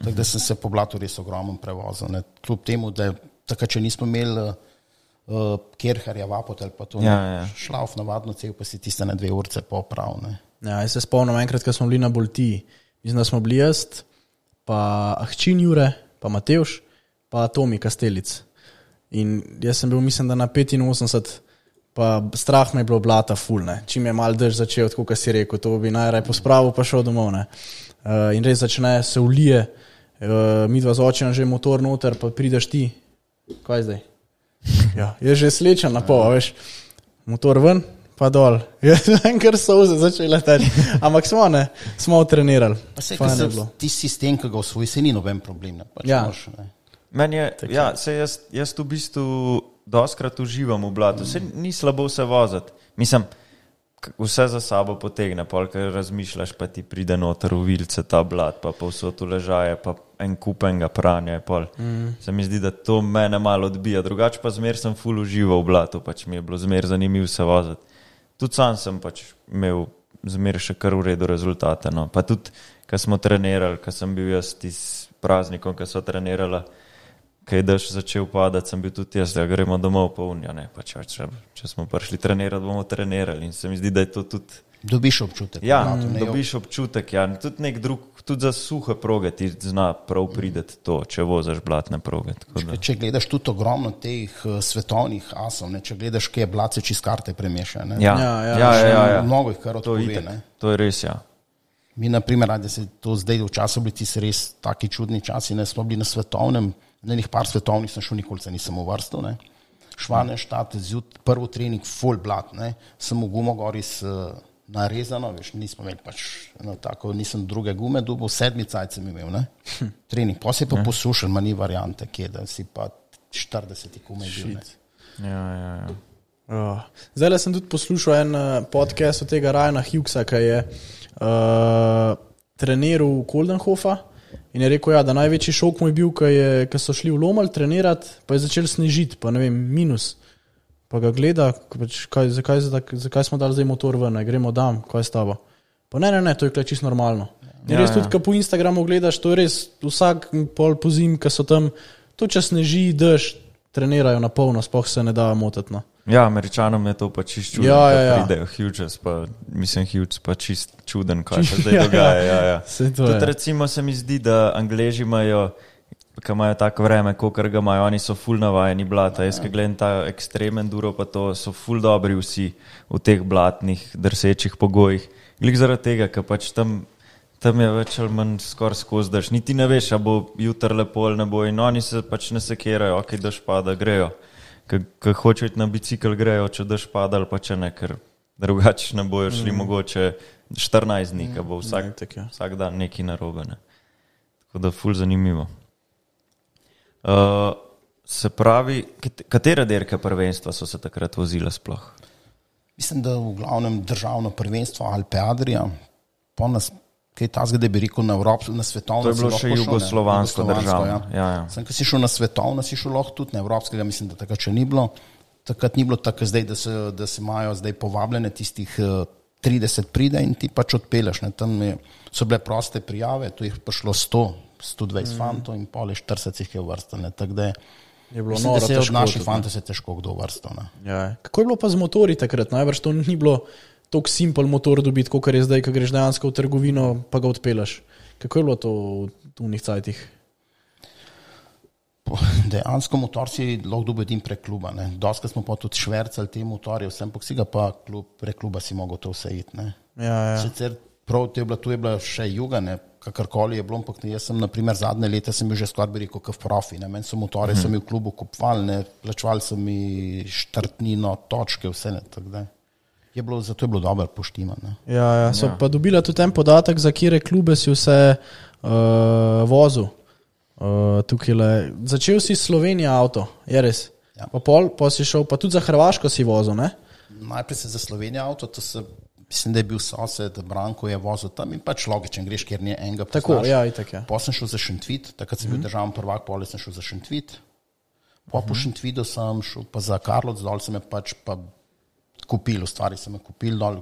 Tako da sem se po blatu res ogromen prevozil, ne. Kljub temu, da tako, če nismo imeli Kerherja, Vapotel, pa to, šlauf navadno cel, pa si tiste na 2 urce poprav, ne. Ja, jaz se spomnim enkrat, ko smo bili na Boltiji, mislim, da smo bili pa Ahčin Jure, pa Matevš, pa Tomi Kastelic. In jaz sem bil, mislim, da na 85, pa strah me je bilo blata ful, ne. Čim je mal dež začel, tako kot si rekel, to bi najraj pospravil, pa šel domov, ne. In res začne se ulije, midva z očem že motor noter, pa prideš ti, kaj zdaj? Ja, je že slečen na pol, veš, motor ven, pa dol. Jaz vem, kar solze začele teči. Ampak smo trenirali. Pa se, ti sistem, ki ga osvoji, se ni noben problem. Ne? Pač ja. Meni je, ja, jaz v bistvu doskrat uživam v blatu. Se ni slabo se voziti. Mislim, vse za sabo potegne, pol, ker razmišljaš, pa ti pride noter v vilce ta blat, pa povsod ležaje, pa en kupenga pranja. Se mi zdi, da to mene malo odbija. Drugače pa zmer sem ful užival v blatu, pač mi je bilo zmer zanimivo se voziti. Tudi sam sem pač imel zmer še kar v redu rezultate. No. Pa tudi, ko smo trenirali, ko sem bil jaz s praznikom, ko so trenirala, kaj dež začel padati, sem bil tudi jaz, da gremo domov polnja. Pač, če smo prišli trenirati, bomo trenirali in se mi zdi, da je to tudi... Dobiš občutek. Ja, dobiš občutek, ja. Tudi nek drug, tudi za suhe proge ti zna prav prideti to, če vozaš blatne proge. Če gledaš tudi ogromno teh svetovnih asov, če gledaš, kje je blat se čist karte premeša. Ja. Mnogo jih kar odpove. To je res, ja. Mi, na primer, radi se to zdaj v času bili ti res taki čudni časi, smo bili na svetovnem, na enih par svetovnih sem šel, nikoli se nisem uvrstil, Švaneštat, prvo trening, full blat, sem v gumo gori narezano, veš, nismo imeli pač, tako, nisem druge gume dobil, 7 cajt sem imel, trening, pa se pa posušen, ma ni variante, kje, da si pa 40 gume bil, Ja. Zdaj sem tudi poslušal en podcast od tega Ryana Hughesa, ki je treniral Koldenhofa in je rekel, da največji šok mu je bil, ko so šli v Lomal trenirati, pa je začel snežiti, pa ne vem, minus. Pa ga gleda, zakaj smo dali zdaj motor ven, gremo dam, kaj je s tabo. Pa ne, to je čisto normalno. Res tudi, ko po Instagramu gledaš, to je res vsak pol po zim, ko so tam, to če sneži, dež, trenirajo na polno, sploh se ne da motiti. No. Ja, Američanom je to pa čist čuden, ko pridejo Hughes, pa mislim Hughes pa čist čuden, kaj se zdaj dogaja. Tudi recimo se mi zdi, da Angleži imajo, ko imajo tako vreme, kakor ga imajo, oni so ful navajeni blata. Jaz, ko gledam ta ekstrem enduro, pa to so ful dobri vsi v teh blatnih, drsečih pogojih. Glik zaradi tega, ker pač tam je več ali manj skoraj skozi dež. Niti ne veš, a bo jutr lepo ali ne bo in oni se pač ne sekerajo, ok, dež pada, grejo. Ko hočejo iti na bicikl, grejo, če dež pada ali pa če ne, ker drugače ne bojo šli mogoče 14 dni, ko bo vsak dan nekaj narobe. Ne. Tako da ful zanimivo. Se pravi, katere dirke prvenstva so se takrat vozile sploh? Mislim, da v glavnem državno prvenstvo Alpe Adria, po nas, kaj ta zgode bi rekel na svetovno. To je bilo še jugoslovansko državno. Ja. Sem, ko si šel na svetovno, si šel lahko tudi na evropskega, mislim, da takrat še ni bilo. Takrat ni bilo tako zdaj, da se imajo zdaj povabljene tistih 30 pride in ti pač odpeleš. Tam so bile proste prijave, tu jih prišlo 120 fantov in pol 40 jih je vrstane. Tako da mislim, da se je od naših fantov se težko kdo vrstal. Ja. Kako je bilo pa z motori takrat? Najbrž to ni bilo toliko simpel motor dobiti, kot je zdaj, ko greš dejansko v trgovino, pa ga odpelaš. Kako je bilo to v unih cajtih? Dejansko motor si lahko dobil edin prek kluba. Doskrat smo pa tudi švercali te motorje, vsem pa si ga pa prek kluba si mogel to vse iti. Ja. Sicer prav tu je bila še juga, kakorkoli je bilo, ampak jaz sem, naprimer, zadnje leta sem bil že skoraj bi rekel, kot profi. Meni so motorje, so mi v klubu kupovali, plačevali so mi štartnino, točke, vse tako da. Zato je bilo dobro poštimano. Ja, so pa dobila tudi ten podatek, za kire klube si vse vozil. Začel si Slovenija avto, je res? Ja. Pa si šel, pa tudi za Hrvaško si vozil, ne? Najprej se za Slovenija avto, mislim, da je bil sosed, Branko je vozil tam in pač logičen, greš, kjer ni enega poznaš. Tako, ja, itak, ja. Pa sem šel za Šentvit, takrat sem bil državni prvak, pole sem šel za Šentvit. Po Šentvidu sem šel pa za Karlovac, dol sem je pač pa kupil, v stvari sem je kupil dol,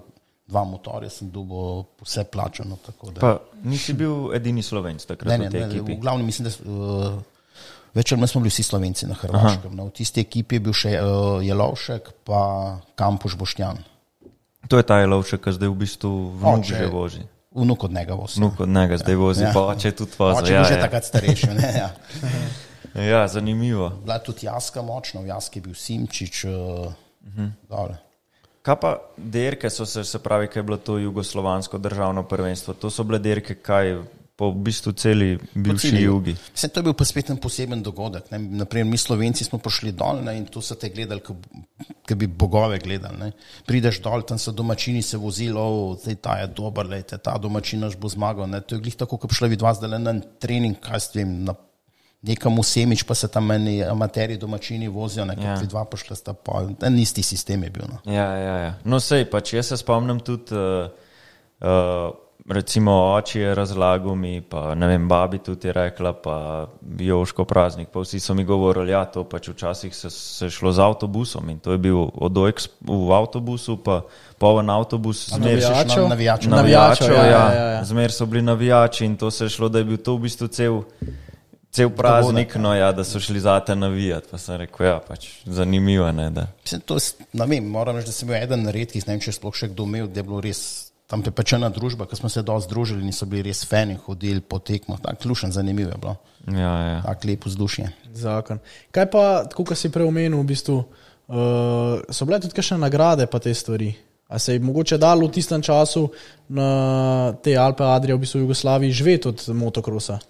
2 motorja sem dobil vse plačano. Pa nisi bil edini Slovenc takrat v tej ekipi? V glavnem mislim, da večer smo bili vsi Slovenci na Hrvaškem. V tisti ekipi je bil še Jelovšek pa Kampuš Boštjan. To je ta Jelovšek, ki zdaj v bistvu vnuk že vozi. Vnuk od njega vozi. Vnuk od njega zdaj vozi, pa oče tudi vozi. Oče je že takrat starejši. Ja, zanimivo. Bila je tudi Jaska močna, v Jaski je bil Simčič. Kaj pa derke so se pravi, kaj je bilo to jugoslovansko državno prvenstvo? To so bile derke kaj po v bistvu celi bivši jugi? Mislim, to je bil pa spet en poseben dogodek. Naprimer, mi Slovenci smo prišli dol, ne, in to so te gledali, kot bi bogove gledali. Ne. Prideš dol, tam so domačini se vozili, ta je dober, lejte, ta domačin naš bo zmagal. Ne. To je glih tako, kot bi šla vidva zdaj na trening, kaj s tem, nekam v Semič, pa se tam meni amateri domačini vozijo, nekaj vidva pošla sta pa, en isti sistem je bil. No, no sej, pač jaz se spomnim tudi, recimo oči je razlagal mi, pa ne vem, babi tudi je rekla, pa Joško praznik, pa vsi so mi govorili, to pač včasih se šlo z avtobusom in to je bil odojk v avtobusu, pa poln avtobus navijačev, zmer so bili navijači in to se je šlo, da je bil to v bistvu cel praznik, da so šli zate navijati, pa sem rekel, pač zanimivo, ne, da. Mislim, to ne vem, moram reči, da sem bil eden redkih, ne vem, če sploh še kdo imel, da je bilo res, tam prepečena družba, ko smo se dosti združili in so bili res fani, hodili po tekmah, tak lušen, zanimivo je bilo. Tak lepo vzdušje. Zakon. Kaj pa, tako kot si prej omenil, v bistvu, so bile tudi kakšne nagrade pa te stvari? A se je mogoče dalo v tistem času na te Alpe Adria v bistvu v Jugoslaviji živeti od motokrosa?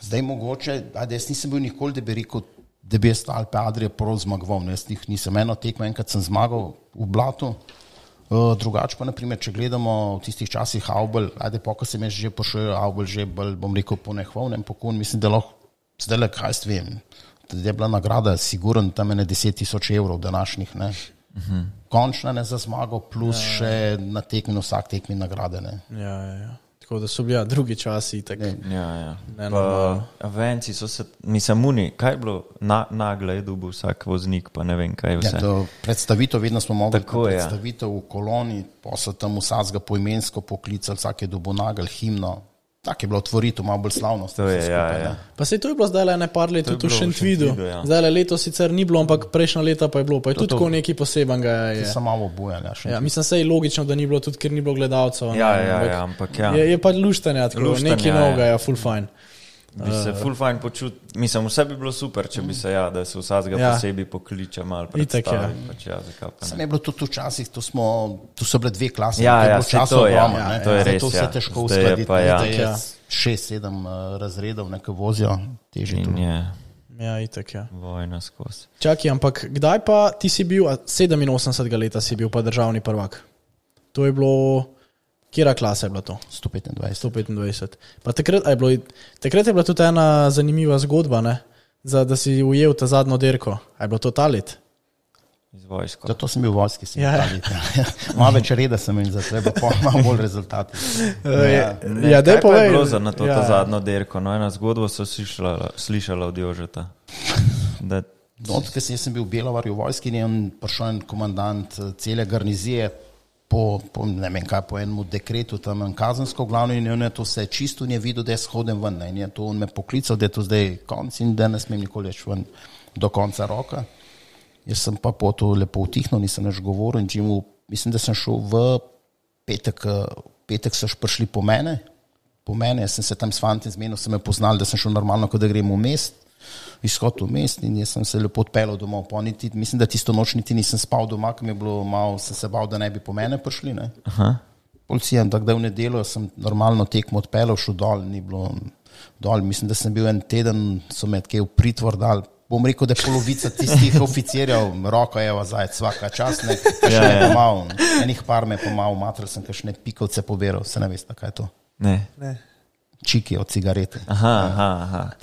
Zdaj mogoče, jaz nisem bil nikoli, da bi rekel, da bi jaz Alpe Adria prav zmagoval. Jaz nisem eno tekmo, enkrat sem zmagal v blatu. Drugače pa, naprimer, če gledamo v tistih časih Aubel, ko sem jaz že pošel, Aubel že bolj, bom rekel, ponehvalnem pokon, mislim, da lahko zdaj le kaj vem, da je bila nagrada sigurno tam 10,000 evrov današnjih, ne. Končna ne za zmago, plus še na tekmi, na vsak tekmi nagrade, ne. Tako da so bili drugi časi. Venci so se, nisem uni, kaj je bilo nagle je dobil vsak voznik, pa ne vem kaj vse. Predstavitev, vedno smo mogli predstavitev v koloni, pa so tam vsakega poimensko poklicali, vsak je dobil nagelj, himno. Tako je bilo otvorito, malo bolj slavno. Pa se to je bilo zdaj le par let tudi v Šentvidu. Zdaj le leto sicer ni bilo, ampak prejšnja leta pa je bilo. Pa je tudi tako nekaj posebenega. Ti so malo obujali. Mislim, se je logično, da ni bilo tudi, ker ni bilo gledalcev. Ampak je pa luštanje, nekaj novega, full fine. Bi se full fine počutil, mislim, vse bi bilo super, če bi se, da se vsakega posebej pokliče malo predstaviti. Sem je bilo tudi včasih, tu so bile dve klasi, to je res, to se težko uskladiti, da je 6-7 razredov nekaj vozijo, težje tu. Itak. Vojna skozi. Čakaj, ampak kdaj pa ti si bil, 87 leta si bil pa državni prvak? To je bilo... Kjera klasa je bila to? 125. Pa takrat je bila tudi ena zanimiva zgodba, ne? Da si ujel ta zadnjo derko. A je bilo to ta let? Iz vojsko. Zato sem bil v vojski, sem ta let. Malo več reda sem in zato je bilo malo bolj rezultati. Kaj pa je bilo na to ta zadnjo derko? No, ena zgodba so slišala od Jožeta. Ker sem bil v Belovarju v vojski in je prišel en komandant cele garnizije, po enemu dekretu tam kazensko glavno in je to vse čisto in je videl, da je shoden ven. In je to on me poklical, da je to zdaj konc in da ne smem nikoli več ven do konca roka. Jaz sem pa po to lepo utihnil, nisem več govoril in mislim, da sem šel v petek so prišli po mene, jaz sem se tam s fanti zmenil, sem me poznal, da sem šel normalno, kot da grem v mest, izhod v mest in jaz sem se lepo odpeljal domov. Mislim, da tisto noč niti nisem spal doma, ker mi je bilo malo, sem se bal, da ne bi po mene prišli. Ne. Policija, tako da v nedeljo sem normalno tekmo odpeljal, šel dol, ni bilo dol. Mislim, da sem bil en teden, so me v pritvor dal. Bom rekel, da je polovica tistih oficirjev, roko je vazajec, svaka čas, kakšne pomal, enih par me pomal, matrl sem kakšne pikovce poberal, se ne veste, kaj je to. Ne. Čiki od cigarete.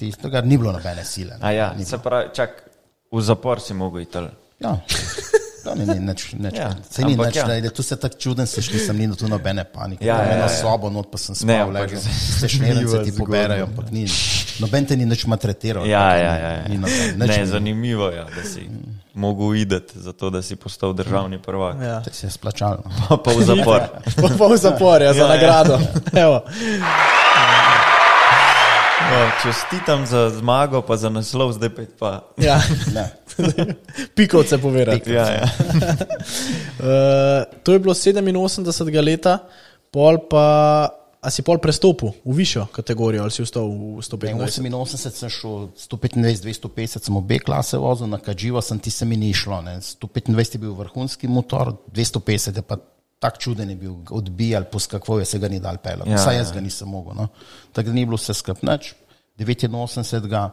Tega ni bilo nobene sile. Se pravi, čak, v zapor si mogel iti. To ni nič. Se ni nič, tu se tak čuden sešli, sem ni tu nobene panike. Eno sobo, not pa sem spal, ležal. Se šnjerence ti poberajo, ampak ni. Noben te ni nič maltretiral. Ne, zanimivo je, da si mogel ideti za to, da si postal državni prvak. Te si je splačal. Pa v zapor. Pa v zapor, za nagrado. Evo. Čestitam za zmago, pa za naslov, zdaj pa. Pikovce povedati. To je bilo 87 leta, pol pa a si pol prestopil v višjo kategorijo ali si vstal v 125? 88 sem šel, 125, 250 sem obe klase vozil, na Kadživo ti se mi ni šlo. Ne. 125 je bil vrhunski motor, 250 je pa tak čuden je bil, odbijal, poskakoval je, se ga ni dal pelati. Vsaj jaz ga nisem mogel. No. Tako da ni bilo vse skup nič. 89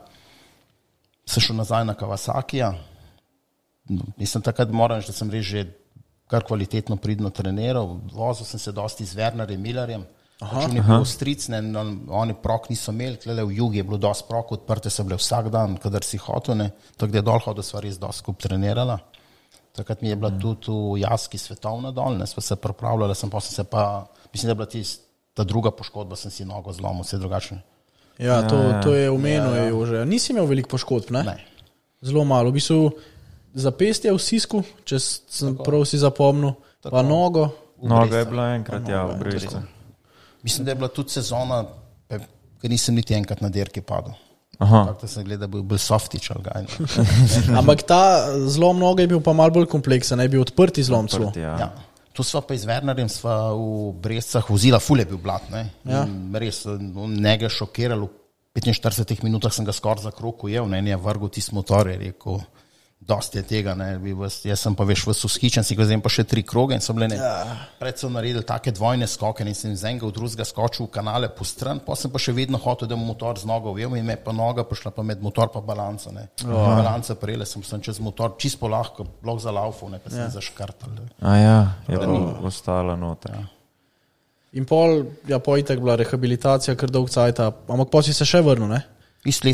sem šel nazaj na Kawasakija. Nisem takrat moral, da sem res že kar kvalitetno pridno treniral. Vozil sem se dosti z Wernerjem Millerjem. On je bil stric, oni prok niso imeli, tle v jugi je bilo dosti prok, odprte so bile vsak dan, kadar si hotel, tako da je dol hodil, sva res dosti skup trenirala. Takrat mi je bila tudi v Jaski svetovna dol, sva se pripravljala, mislim, da je bila ta druga poškodba, sem si nogo zlomil, vse drugačne. Ja, to je omenil že. Nisi imel veliko poškodb, ne? Ne. Zelo malo. V bistvu zapestje v sisku, če sem prav si zapomnil, pa nogo. Noga je bila enkrat, v Brestu. Mislim, da je bila tudi sezona, ker nisem niti enkrat na dirki padel. Tako da sem gledal, da je bil softič ali kaj. Ampak ta zlom noge je bil pa malo bolj kompleksen, je bil odprti zlom celo. Ja. Tu sva pa z Wernerjem sva v Brestcah vozila, ful je bil blat, ne. Ja. Res, njega šokiral, v 45 minutah sem ga skoraj za krog ujel, ne, je vrgel tisti motor, je rekel, dosti je tega, ne, jaz sem pa veš v ushičen, si ga vzem pa še 3 kroge in so bile pred so naredili take dvojne skoke in sem z enega v drugega skočil v kanale po stran, pa sem pa še vedno hotel, da mu motor z nogo ujel in me pa noga pošla pa med motor pa balanco, ne. Balanca prejele sem čez motor čisto lahko, blok za laufo, ne, pa sem zaškrtal. Je to ostala noter. Ja. In pol itak bila rehabilitacija, kar dolg cajta, ampak pa si se še vrnil, ne? Tisti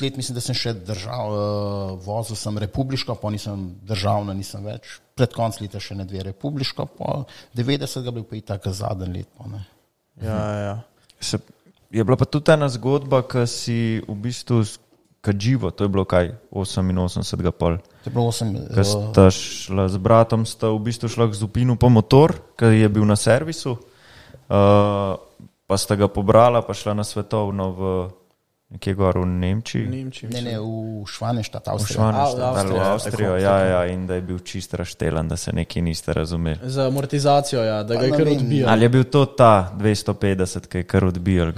let mislim, da sem še držal, vozil sem republiško, pa nisem državna, nisem več. Pred konc leta še ne 2 republiško, pa 90 ga bil pa itak zadnji let. Pa, ne. Ja. Je bila pa tudi ena zgodba, ki si v bistvu Kadživo, to je bilo kaj, 88 pol. To je bilo 8. Ko sta šla z bratom, sta v bistvu šla k Zupinu po motor, ki je bil na servisu, pa sta ga pobrala, pa šla na svetovno v nekje gor v Nemčiji. Ne, v Švaneštat, Avstrija. V Avstrijo, in da je bil čist raštelan, da se nekaj niste razumeli. Za amortizacijo, da ga je kar odbijal. Ali je bil to ta 250, ki je kar odbijal?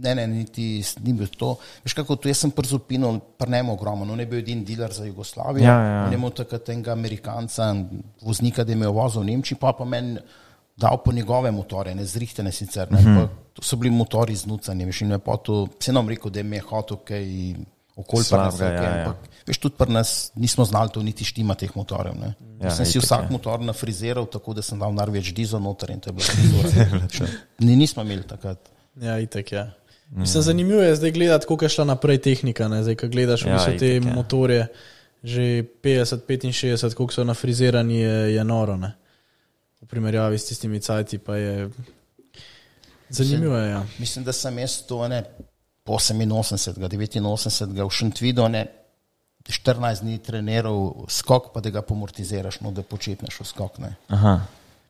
Ne, ni bil to. Veš kako, tu jaz sem pri Zupinu, prnemo ogromno, on je bil edin dealer za Jugoslavijo, on je imel takrat enega Amerikanca, voznika, da je imel vozil v Nemčiji, pa meni dal po njegove motore, ne zrihtene sicer, ne, to so bili motori znucani, veš, in je pa to, se nam rekel, da je me hotel kaj okolj pa nas, ampak veš, tudi pri nas nismo znali to niti štima teh motorjev, ne. Sem si vsak motor nafriziral, tako da sem dal največ dizel noter in to je bilo frizora. Nismo imeli takrat. Ja, itak, ja. Mislim, zanimivo je zdaj gledati, koliko je šla naprej tehnika, ne, zdaj, ko gledaš v bistvu te motorje, že 50-65, koliko so nafrizirani, je noro, ne. V primerjavi s tistimi cajti pa je zanimivo, ja. Mislim, da sem jaz to, po 88, 89 v Šentvidu, 14 dni treniral skok, pa da ga pomortiziraš, da počepneš v skok, ne.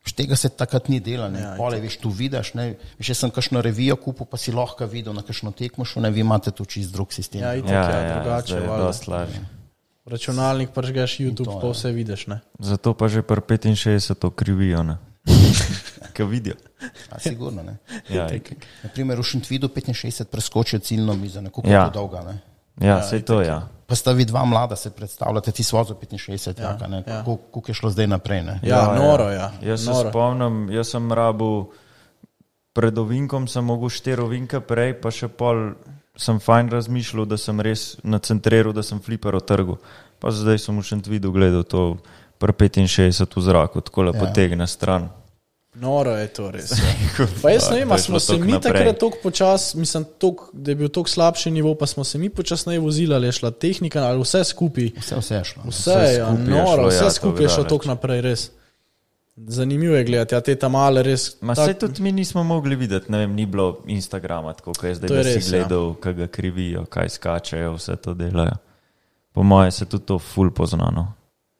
Tega se takrat ni delal, pole, veš, tu vidiš, veš, jaz sem kakšno revijo kupil, pa si lahko videl na kakšno tekmo šel, vi imate tu čist drug sistem. Ja, itak, drugače. Dost lažje. Računalnik pržgeš YouTube, pa vse vidiš, ne. Zato pa že pri 65 krivijo, ne. Kaj vidijo. Sigurno, ne. Naprimer, v Šentvidu 65 preskočijo ciljno mizo, koliko je to dolga, ne. Ja, sej to, Pa sta vi dva mlada se predstavljate, ti svozo 65, jaka, ne. Koliko je šlo zdaj naprej, ne. Noro, ja. Jaz se spomnim, jaz sem rabil, pred ovinkom sem mogel 4 ovinke prej, pa še pol sem fajn razmišljal, da sem res nacentriral, da sem fliper otrgal. Pa zdaj sem v Šentvidu gledal to pri 65 v zraku, tako lepo potegne stran. Noro je to res. Pa jaz ne vem, smo se mi takrat toliko počas, mislim, da je bil toliko slabši nivo, pa smo se mi počasneje vozili, ali je šla tehnika, ali vse skupaj. Vse je šlo. Vse skupaj je šlo toliko naprej, res. Zanimivo je gledati, te tamale res. Saj tudi mi nismo mogli videti, ne vem, ni bilo Instagrama, tako kot je zdaj, da si gledal, kaj ga krivijo, kaj skačejo, vse to delajo. Po moje se tudi to ful poznano.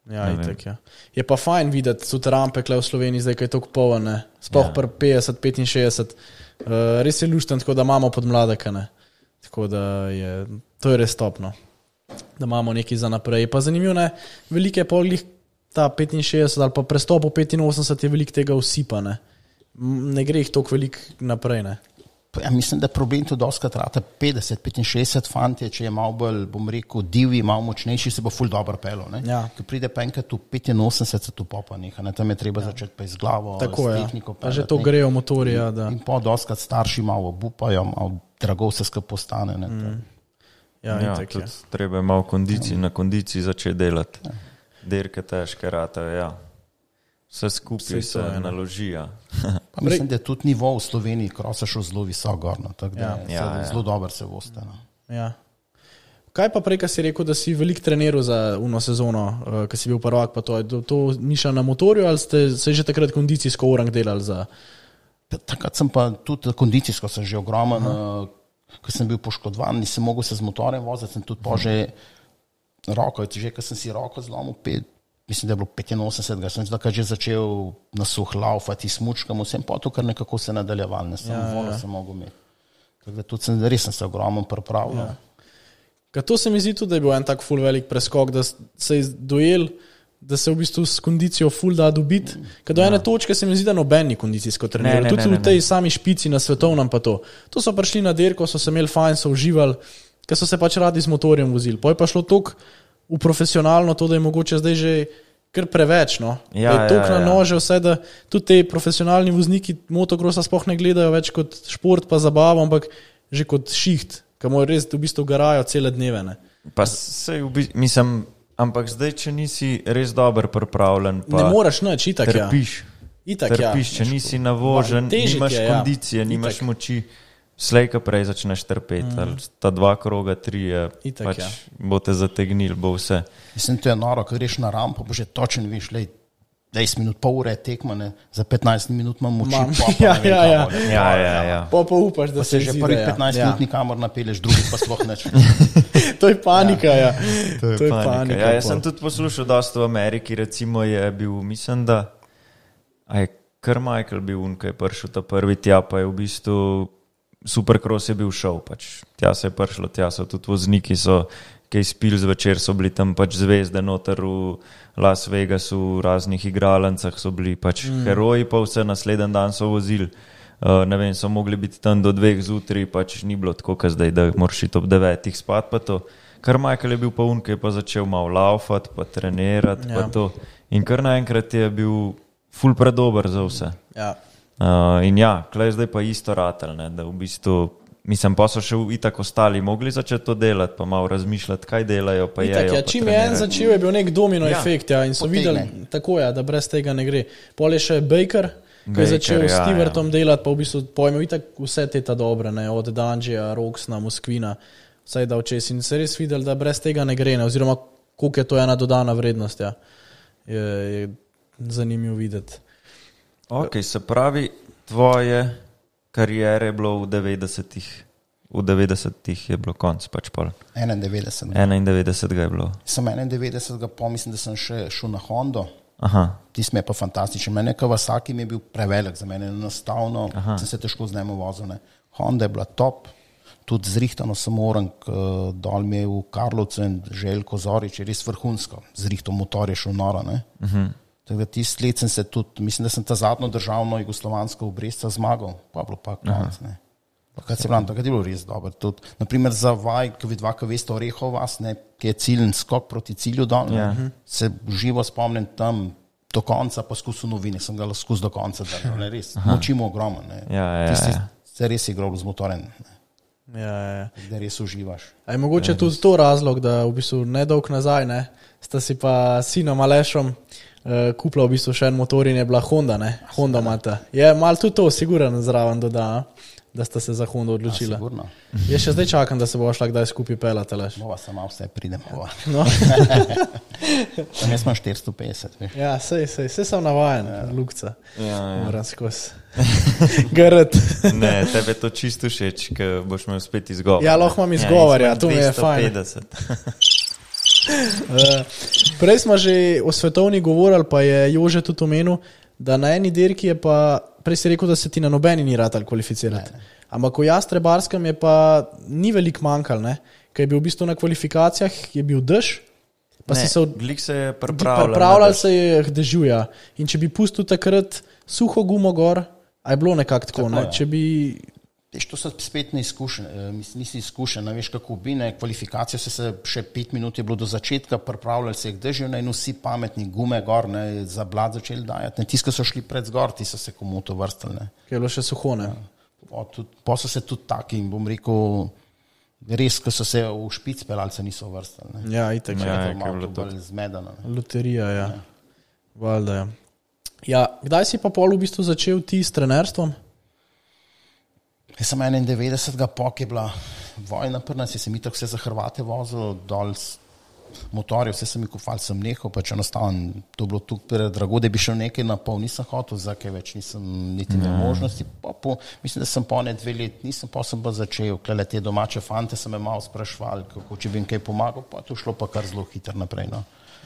Ja, itak, ja. Je pa fajn videti tudi rampe kle v Sloveniji, zdaj, kaj je toliko polno, sploh pri 50-65. Res je lušten, tako da imamo podmladaka, ne. Tako da to je res topno, da imamo nekaj za naprej. Pa zanimivo, ne, velike polih ta 65 ali pa prestop v 85 je veliko tega usipa, ne. ne gre jih toliko veliko naprej. Ne? Ja, mislim, da problem to doskrat trata 50-65 fantje, če je malo bolj, bom rekel, divji, malo močnejši, se bo ful dobro pelo. Ja. Ko pride pa enkrat v 85, se tu popa neha, ne? Tam je treba začeti pa iz glavo, tako, s tehniko. Pa že to grejo motorja. Da. In pa doskrat starši malo obupajo, malo drago se skupaj postane. Ne? Ja, tudi treba malo na kondiciji začeti delati. Ja. Dirke težke ratajo, ja. Vse skupaj se naloži. Ja. Mislim, da je tudi nivo v Sloveniji krosa šel zelo visoko gorno, tako da zelo dobro se voste. No. Ja. Kaj pa prej, ko si rekel, da si veliko treniral za uno sezono, ko si bil prvak, pa to mišal na motorju ali ste se že takrat kondicijsko orang delali za? Takrat sem pa tudi kondicijsko sem že ogromen, ko sem bil poškodovan, nisem mogel se z motorjem voziti, sem tudi že roko, že ko sem si roko zlomil, mislim, da je bilo 85, sem zdaj že začel na suh laufati, smučkam, vsem pa to, kar nekako se nadaljeval, ne samo vodo sem mogel imeti. Tako da tudi res sem se ogromen pripravil. Ja. To se mi zdi tudi, da je bil en tak ful velik preskok, da se je dojel, da se v bistvu s kondicijo ful da dobiti. Kad do ene točke se mi zdi, da noben ni kondicijsko treniral. Tudi v tej sami špici na svetovnem pa to. To so prišli na dirko, so se imeli fajn, so uživali, ker so se pač radi z motorjem vozili. Poj pa šlo toliko v profesionalno to, da je mogoče zdaj že kar preveč, no. Je toliko na nože vse, da tudi te profesionalni vozniki motokrosa sploh ne gledajo več kot šport pa zabavo, ampak že kot šiht, ki morajo res v bistvu garajo cele dneve, ne. Pa se mislim, ampak zdaj, če nisi res dober pripravljen, pa ne moraš nič, itak trpiš. Trpiš, če nisi navožen, nimaš kondicije, nimaš moči. Slejka prej začneš trpeti, ali ta 2 kroga, 3, pač bo te zategnil, bo vse. Mislim, to je noro, ko greš na rampo, bo že točen, viš, 10 minut, pol ure je tekma, za 15 minut imam moči, Ja. Pa upaš, da se že prvih 15 minut nikamor napelješ, drugih pa sploh neč. To je panika, To je panika. Ja, jaz sem tudi poslušal dosta v Ameriki, recimo je bil, mislim, da je Carmichael bil ki je prišel ta prvi tja, pa je v bistvu Supercross je bil šov, pač tja se je prišlo, tja so tudi vozniki, so kaj spili zvečer, so bili tam pač zvezde noter v Las Vegasu, v raznih igralancah so bili pač heroji, pa vse naslednji dan so vozili, ne vem, so mogli biti tam do 2 zjutraj, pač ni bilo tako, kot zdaj, da moraš iti ob 9 spat, pa to. Carmichael je bil pa ki je pa začel malo laufati, pa trenirati, pa to. In kar naenkrat je bil ful predober za vse. Ja. In klej zdaj pa isto ratelj, ne, da v bistvu, mislim, pa so še itak ostali mogli začeti to delati, pa malo razmišljati, kaj delajo, pa itak, jejo. Čim je en začel, je bil nek domino efekt, in so videli, tako da brez tega ne gre. Pol je še Baker, ki je začel s Stewartom delati, pa v bistvu pojmev itak vse te ta dobre, ne, od Dangija, Roxna, Moskvina, vsaj da včes in se res videli, da brez tega ne gre, ne, oziroma koliko je to ena dodana vrednost, je zanimivo videti. Ok, se pravi, tvoje karijere je bilo v 90-ih. V 90-ih je bilo konc, pač pol. 91. 91 je bilo. Sem 91, pomislim, da sem še šel na Hondo. Aha. Tis me je pa fantastičen. Mene Kawasaki mi je bil prevelik, za mene enostavno, sem se težko z njemu vozil. Ne. Honda je bila top, tudi zrihtano sem oran, dol mi je v Karlovcu in Željko Zorič je res vrhunsko. Zrihto motor je šel noro, ne. Tako da tist let sem se tudi, mislim, da sem ta zadnjo državno jugoslovansko v Brestca zmagal, pa bilo pa konc, ne. Takrat je bilo res dobro. Tudi, naprimer za vaj, ki vidva, ki veste Orehov vas, ne, ki je ciljen skok proti cilju dol, se živo spomnim tam do konca, pa skusil novine, sem ga skus do konca držal, ne, res, močimo ogromno, ne. Tisti se res igral z motorem, ne. Da res uživaš. A je mogoče tudi to razlog, da v bistvu nedolg nazaj, ne, sta si pa sinom Alešom kupila v bistvu še en motor in je bila Honda, ne? Honda mata. Je malo tudi to sigurno zraven doda, da sta se za Honda odločila. Sigurno. Jaz še zdaj čakam, da se bo šla kdaj skupaj pelati, Aleš. Bova sama vse pridemo. No. Tam jaz imam 450, veš. Ja, sej sem navajen, Lukca. Moram skozi. Grd. Ne, tebe to čisto všeč, ker boš imel spet izgovor. Ja, lahko imam izgovor, to mi je fajn. 250. Prej smo že o svetovni govorili, pa je Jože tudi omenil, da na eni dirki je pa, prej si rekel, da se ti na nobeni ni ratal kvalificirati. Ampak v Jastrebarskem je pa ni veliko manjkal, ne? Ker je bil v bistvu na kvalifikacijah, je bil dež, pa ne, si se glik se je pripravljal. Pripravljal se je dežuja. In če bi pustil takrat suho gumo gor, A je bilo nekako tako, ne? Če bi... To so spet neizkušene, nisi izkušen, ne veš kako bi, ne, kvalifikacije se še 5 minut je bilo do začetka, pripravljali se jih dežju, ne, in vsi pametni gume gor, ne, za blad začeli dajati, ne, tisti, ki so šli pred zgor, ti so se komu to vrstali, ne. Kaj je bilo še suho, ne? Pa so se tudi taki, bom rekel, res, ko so se v špic pelalce niso vrstali, ne. Ja, itak. Ja, malo bolj zmedano. Loterija, ja. Valjda, ja. Ja, kdaj si pa pol v bistvu začel ti s trenerstvom? Jaz sem 91. pok je bila vojna pri nas, sem itak vse za Hrvate vozil, dol motorje, vse sem jih kufal, sem nehal, pač enostavno, to bilo tukaj predrago, da bi šel nekaj na pol, nisem hotel, zakaj več nisem niti imel možnosti, mislim, da sem po 2 leti, nisem pa sem pa začel, klele te domače fante sem me malo sprašval, kako če bi jim kaj pomagal, pa to šlo pa kar zelo hitro naprej, no.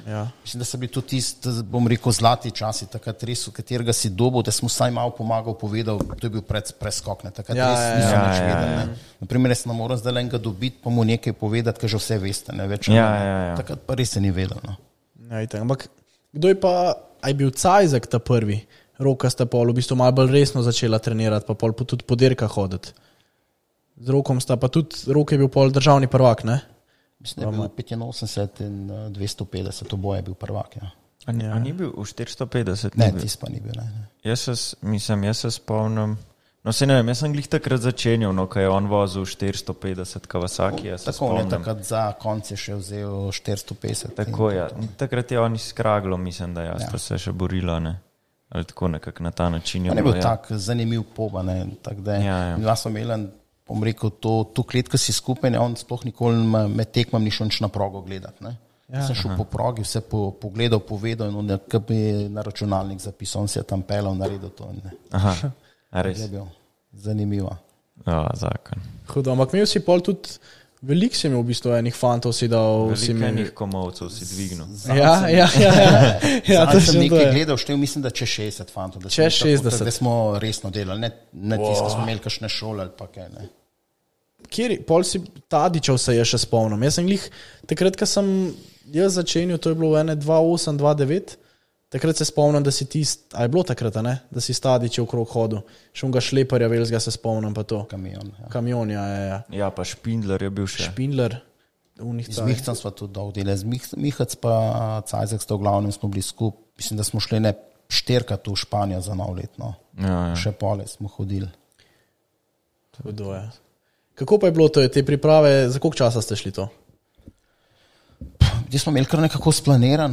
Ja. Mislim, da so bili tudi tisti, bom rekel, zlati časi, takrat res, v katerega si dobil, da smo vsaj malo pomagal, povedal, to je bil preskok, ne, takrat res nisem več vedel, ne. Naprimer, jaz ne moram zdaj enega dobiti, pa mu nekaj povedati, ker že vse veste, ne, več takrat pa res se ni vedel, no. Ja, ampak, kdo je pa, je bil Cajzek ta prvi, Roka sta pol v bistvu malo bolj resno začela trenirati, pa pol tudi po dirkah hoditi. Z Rokom sta pa tudi, Rok je bil pol državni prvak, ne? Mislim, da je bil 85 in 250, oboje je bil prvak, ja. A ni bil v 450? Ne, tis pa ni bil, ne. Jaz se spomnim, no se ne vem, jaz sem glih takrat začenjal, no, ko je on vozil 450 Kawasaki, jaz se spomnim. Tako, ne, takrat za konc je še vzel 450. Tako, ja. Takrat je on izkraglo, mislim, da jaz pa se še borila, ne. Ali tako nekako na ta način. On je bil tak zanimiv poba, ne, tak da je. Ja smo imeli, bom rekel, to klet, ko si skupaj, on sploh nikoli med tekmam ni šel nič na progo gledati, ne. Ja, sem šel po progi, vse pogledal, povedal in on je na računalnik zapisal, on se je tam pelal, naredil to. Ne. Aha, a res? Je bil zanimivo. Ja, zakon. Hudo, ampak imel si pol tudi, veliko si imel v bistvu enih fantov si dal. Veliko enih komovcev si dvignil. Ja, to sem nekaj gledal, štev mislim, da če 60 fantov. Če 60. Da smo resno delali, ne tisto, smo imeli kakšne šole ali pa kaj, ne. Kjer, pol si Tadičev se je še spomnim. Jaz sem glih, takrat, ko sem jaz začenil, to je bilo 2008, 2009, takrat se spomnim, da si ti, a je bilo takrat, ne? Da si Tadičev krog hodil. Še onga šleparja velzga se spomnim pa to. Kamion, ja. Ja, pa Špindler je bil še. Špindler. Z Mihcem smo tudi dolg delali. Z Mihec pa Cajzek sta v glavnem smo bili skup. Mislim, da smo šli 4krat v Španijo za nov let, no. Ja. Še pole smo hodili. Hudo je. Kako pa je bilo to, te priprave, za koliko časa ste šli to? Zdaj smo imeli kar nekako splaniran,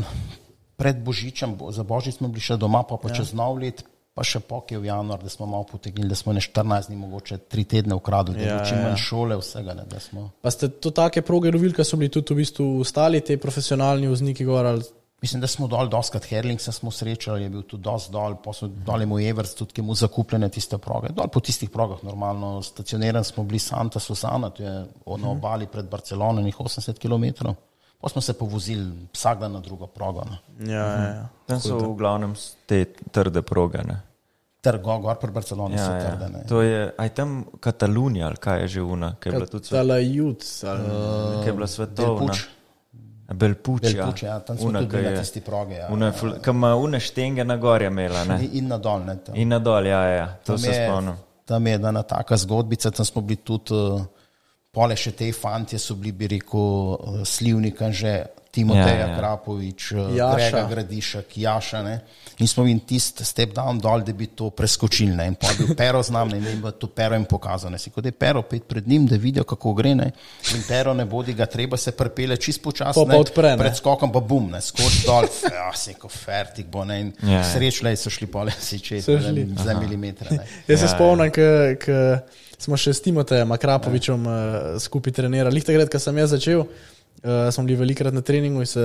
pred Božičem, za Božič smo bili še doma, pa čez nov let, pa še pokje v januar, da smo malo potegnili, da smo 14 dni, mogoče 3 tedne ukradli, da čim manj šole, vsega, ne, da smo. Pa ste to take proge lovili, ko so bili tudi v bistvu ostali te profesionalni vozniki gor ali? Mislim, da smo dol, doskrat Herlingsa smo srečali, je bil tudi dost dol, pa so dol je mu Evers, tudi ki mu zakupljene tiste proge. Dol po tistih progah normalno stacioniran smo bili Santa Susana, to je na obali pred Barcelono, 80 km. Pa smo se povozili vsak dan na drugo progo. No. Ja. Tam so v glavnem te trde proge, ne? Gor pri Barceloni so trde, ne? To je, aj tam Katalunija, ali kaj je že una? Katalajut. Kaj je bila svetovna? Belpuč, ja, tam smo tudi na tisti proge. Kaj ima une štenge na gorja imela, ne? In na dol, ne? In na dol, ja, to se spomnim. Tam je ena taka zgodbica, tam smo bili tudi, pole še te fantje so bili, bi rekel, Slivnika že, Timoteja Krapovič, Grega Gradišek, Jaša, ne? In smo in tist step down dol, da bi to preskočili, ne? In pa bil Pero z nami, ne? In bi to Pero jim pokazal, ne? Si kot je Pero pet pred njim, da vidijo, kako gre, ne? In Pero ne bodi ga treba, se prepele čist počas, ne? Pred skokom pa bum, ne? Skoč dol, se ko fertik bo, ne? In srečle so šli pole si čez za milimetre, ne? Jaz se spomnim, ko smo še s Timotejem Krapovičem skupaj trenirali. Lih takrat, ko sem jaz začel, smo bili velikrat na treningu in se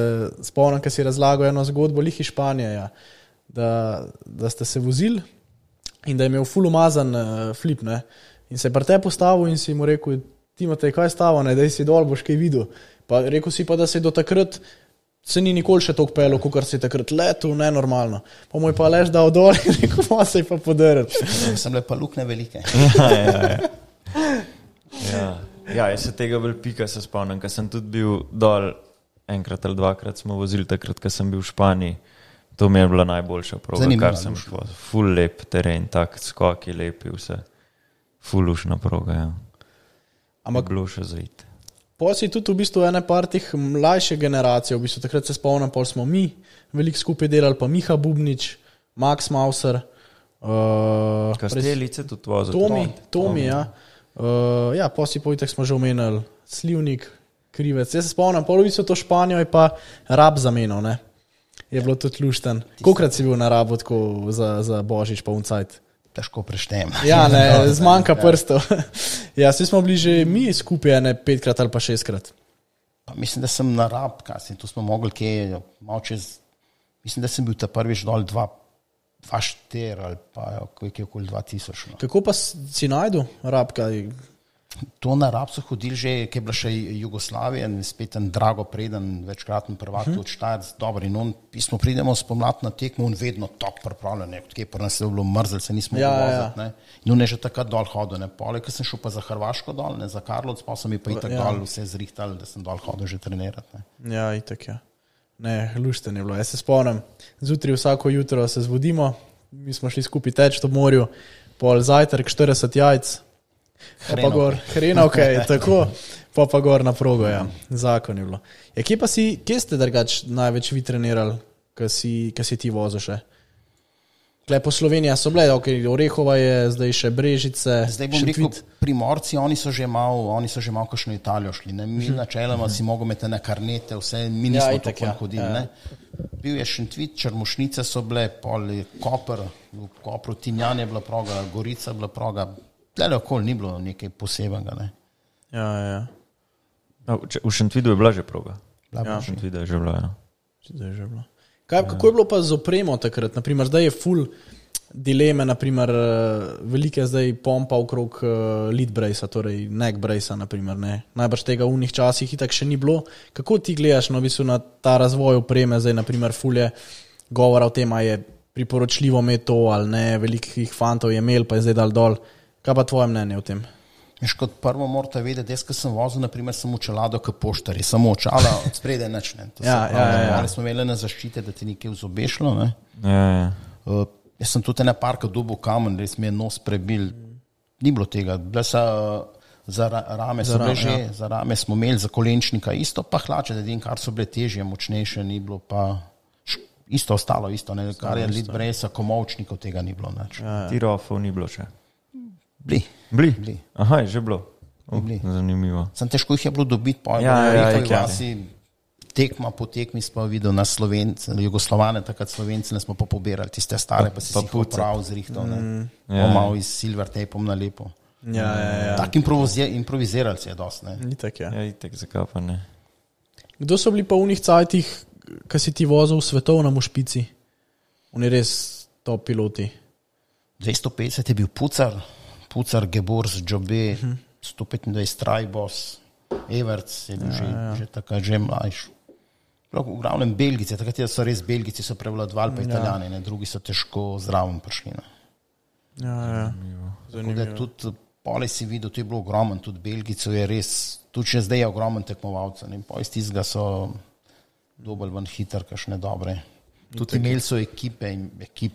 spomnim, ko si razlagal eno zgodbo lih iz Španije, ja, da ste se vozili in da je imel ful umazan flip, ne, in se je pri te postavil in si mu rekel, Timotej, kaj je stavo, ne, daj si dol, boš kaj videl. Pa rekel si pa, da se do takrat se ni nikoli še toliko pelil, kakor si takrat letel, nenormalno. Pa mu je pa lež dal dol in rekel, ma se je pa podaril. Sem le pa lukne velike. Ja, jaz se tega bolj pika se spomnim, ker sem tudi bil dol enkrat ali dvakrat smo vozili takrat, ko sem bil v Španiji, To mi je bila najboljša proga, Zanimivo, kar sem šel. Ful lep teren, tak skoki lepi, vse. Ful ušna proga, ja. Ampak bilo še zaiti. Pa si tudi v bistvu ene par teh mlajše generacije, v bistvu takrat se spomnim, pol smo mi veliko skupaj delali, pa Miha Bubnič, Max Mauser, Kastelice tudi vozil. Tomi, ja. Ja, pa si pojitek smo že omenili, Slivnik, Krivec. Jaz se spomnim, polovico to Španijo je pa Rab zamenil, ne. Je bilo tudi lušten. Kolikrat si bil na Rabu tako za Božič pa uncajt? Težko preštem. Ja, ne, zmanjka prstov. Ja, vsi smo bili že mi skupaj, ne 5-krat ali pa 6-krat. Pa mislim, da sem na Rab, tu smo mogli kje, malo čez, mislim, da sem bil ta prvič dol 2-4 ali pa kje okoli 2000. No. Kako pa si najdu Rab, kaj? To na Rab so hodili že, ki je bila še Jugoslavija, spet en Drago Preden, večkratni prvak, tudi Štajerc, dobro, in on, pismo pridemo spomlad na tekmo, on vedno top pripravljen, odkje pa nas je bilo mrzel, se nismo voziti, ne. In on je že takrat dol hodil, ne. Poleg, ko sem šel pa za Hrvaško dol, ne, za Karlovc, pa so mi pa itak dol vse zrihtali, da sem dol hodil že trenirati, ne. Ja, itak, ja. Ne, lušten je bilo. Jaz se spomnim, zjutraj vsako jutro se zbudimo, mi smo šli skupaj teč v morju, pol zajtrk, 40 jajc, hrenovke, tako, pa gor na progo, ja, zakon je bilo. Ja, kje ste drugač največ vi trenirali, ko si ti vozil še? Tle po Sloveniji so bile, Orehova je, zdaj še Brežice. Zdaj bom rekel, Primorci, oni so že malo kakšno Italijo šli, ne? Mi načeloma si mogel imeti na karnete, vse, mi nismo tako hodili, ne? Bil je Šentvid, Črmušnice so bile, pol Koper, v Kopru Tinjan je bila proga, Gorica je bila proga, tlele okoli ni bilo nekaj posebenega, ne. Ja. V Šentvidu je bila že proga. Ja. V Šentvidu je že bila, ja. Kako je bilo pa z opremo takrat? Naprimer, zdaj je full dileme, naprimer, velike zdaj pompa okrog lead brace, torej neck brace, naprimer, ne. Najbrž tega v unih časih itak še ni bilo. Kako ti gledaš, no, v bistvu na ta razvoj opreme, zdaj, naprimer, full je govora o tem, a je priporočljivo imeti to ali ne, velikih fantov je imel, pa je zdaj dal dol. Kaj pa tvoje mnenje o tem? Veš, kot prvo morate vedeti, jaz, ko sem vozil, naprimer, sem očelado k poštari, samo očala, od spredaj nič, ne. Ja. Smo imeli na zaščite, da ti nekaj vzobešlo, ne. Ja. Jaz sem tudi ena parka dobil kamen, res mi je nos prebil, ni bilo tega, bile so za rame, za rame smo imeli, za kolenčnika isto, pa hlače, da kar so bile težje, močnejše, ni bilo pa isto ostalo, isto, ne, kar je lead brace, komovčnikov tega ni bilo, nič. Tirofov ni bilo še. Bili. Aha, je že bilo. Zanimivo. Sem težko jih je bilo dobiti, pa tekma po tekmi smo videli na Slovence, Jugoslovane, takrat Slovenci, ne smo pa pobirali tiste stare, pa si jih prav zrihtali, ne. Malo iz silver tapom na lepo. Ja. Tak improvizirali se je dosti, ne. Itak, ja. Ja, itak, zakaj pa ne. Kdo so bili pa v unih cajtih, ko si ti vozil v svetovnem špici? Oni res top piloti. 250 je bil Pucar, Geburs, Džobe, 125 Trajbos, Everts je bil že takrat že mlajš. V glavnem Belgici, takrat so res Belgici so prevladovali, pa Italijani, ne, drugi so težko zraven prišli. Ne. Ja. Tako da tudi pole si videl, to je bilo ogromen, tudi Belgicov je res, tudi še zdaj je ogromen tekmovalcev, ne, pa iz tistega so dobili ven hiter, kakšne dobre. Tudi imeli so ekipe,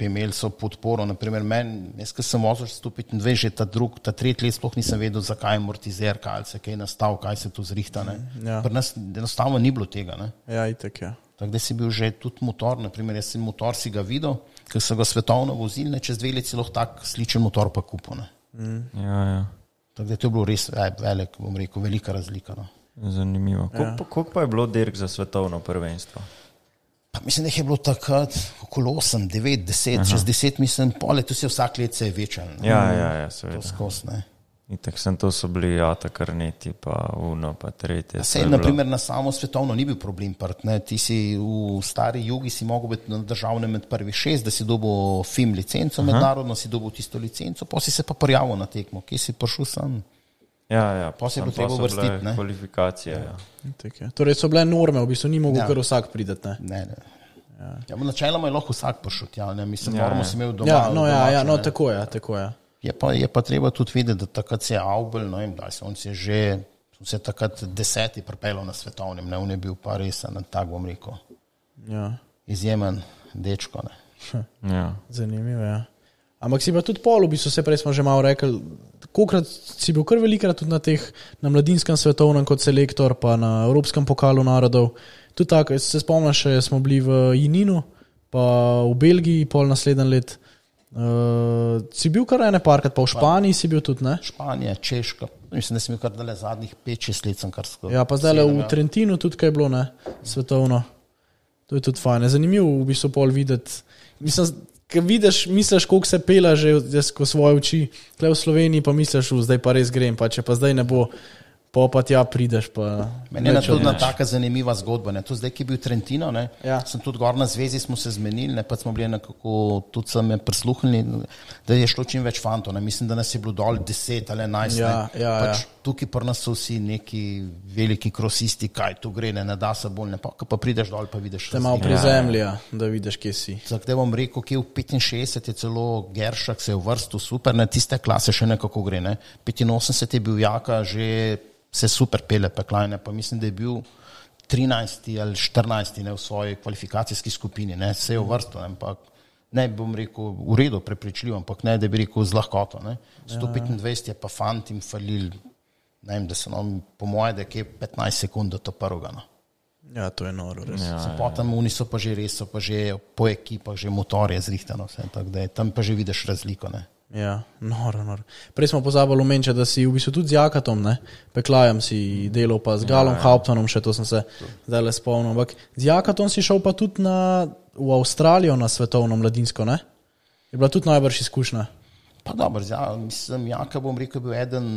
imeli so podporo, naprimer meni, jaz, ko sem vozil 125, že ta tretji let sploh nisem vedel, zakaj amortizer, kaj se kaj nastav, kaj se tu zrihta, ne. Ja. Pri nas enostavno ni bilo tega, ne. Ja, itak, ja. Tako da si bil že tudi motor, naprimer jaz si motor si ga videl, ker so ga svetovno vozili, ne, čez 2 leti si lahko tak sličen motor pa kupil, ne. Ja. Tako da to je bilo res velik, bom rekel, velika razlika, no. Zanimivo. Koliko pa je bilo dirk za svetovno prvenstvo? Pa mislim, da je bilo takrat okoli 8, 9, 10, čez 10 mislim, pole, tu se vsak let se je večal. Ja, seveda. To skos, ne. Itak to so bili karneti, pa uno, pa tretje. Sej, naprimer, na samo svetovno ni bil problem part, ne. Ti si v stari jugi si mogel biti na državnem med prvih 6, da si dobil FIM licenco, mednarodno si dobil tisto licenco, pa si se pa prijavil na tekmo, kje si prišel sam. Ja, pa se je bilo treba vrstiti, ne. Kvalifikacije, ja. Torej so bile norme, v bistvu ni mogel kar vsak prideti, ne. Ne. Ja, načeloma je lahko vsak prišel tja, ne, mislim, normo si imel doma. No, tako je. Je pa treba tudi videti, da takrat se je Aubel, no in da on se je že, se takrat 10. pripeljal na svetovnem, ne, on je bil pa res, tak bom rekel, ja. izjemen dečko. Ja. Zanimivo, ja. Ampak si pa tudi pol, v bistvu, prej smo že malo rekli, kolikrat si bil kar velikrat tudi na mladinskem svetovnem kot selektor, pa na Evropskem pokalu narodov. Tudi tako, se spomniš, smo bili v Jininu, pa v Belgiji pol naslednji let. Si bil kar ene parkrat, pa v Španiji si bil tudi, ne? Španija, Češka, mislim, da sem bil kar dale zadnjih 5-6 let sem kar skoro. Ja, pa zdaj v Trentinu tudi kaj je bilo, ne? Svetovno. To je tudi fajn. Zanimivo v bistvu pol videti. Mislim, ker vidiš, misliš, koliko se pela že ko svoje oči, tukaj v Sloveniji pa misliš, zdaj pa res grem, pa če pa zdaj ne bo, pa tja prideš. Meni je tudi taka zanimiva zgodba. Ne. To zdaj, ki je bil Trentino, sem tudi gor na zvezi, smo se zmenili, pa smo bili nekako, tudi sem je prisluhnili, da je šlo čim več fantov. Ne. Mislim, da nas je bilo dol 10 ali 11. Pač tukaj pri nas so vsi neki veliki krosisti, kaj tu gre, ne da se bolj, pa prideš dol, pa vidiš. Te malo prizemlja, da vidiš, kje si. Zdaj bom rekel, kje v 65 je celo Geršak se je v vrstu, super, ne, tiste klase še nekako gre. Ne. 85 je bil Jaka, že se super pele peklajne, pa mislim, da je bil 13. ali 14. Ne, v svoji kvalifikacijski skupini, ne, se je v vrstu, ampak ne bom rekel v redu, prepričljiv, ampak ne, da bi rekel z lahkoto. 125 je pa fant jim falil, ne vem, da se nam po moje, da je 15 sekund do to prvega. No. Ja, to je noro, res. Potem oni so pa že res, so pa že po ekipah, že motorje zrihtano, vse, tako da je tam pa že vidiš razliko, ne. Ja, noro. Prej smo pozabili omeniti, da si v bistvu tudi z Jakatom, ne, Peklajem si delal, pa z Galom Hauptmanom, še to sem se zdaj le spomnil, ampak z Jakatom si šel pa tudi v Avstralijo na svetovno mladinsko, ne? Je bila tudi najbrž izkušnja. Pa dobro, mislim, Jaka bom rekel, bil eden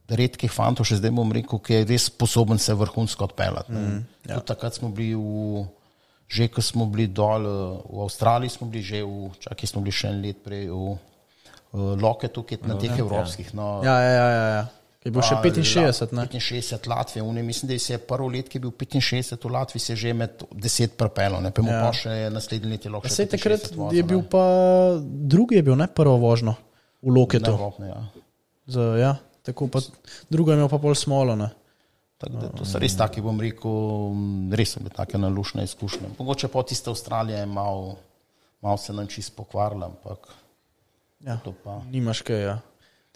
redkih fantov, še zdaj bom rekel, ki je res sposoben se vrhunsko odpeljati. Ja. Tudi takrat smo bili že ko smo bili dol v Avstraliji, smo bili že smo bili še en let prej v Loketu, ki je na teh evropskih. No, ja. Je bil še 65, ne? 65 Latvije, mislim, da se je prvo let, ki je bil 65 v Latviji, se je že med 10 prepelo, ne, pa mu pa še naslednji let je lahko še 65 takrat vozil, je bil pa drugi je bil, ne, prvo vožno v Loketu. Ja, tako pa drugo je imel pa pol smolo, ne. Tako da to so res taki, bom rekel, res so bile take nalušne izkušnje. Mogoče pa tiste Avstralije je malo se nam čisto pokvarila, ampak ja, nimaš kaj, ja.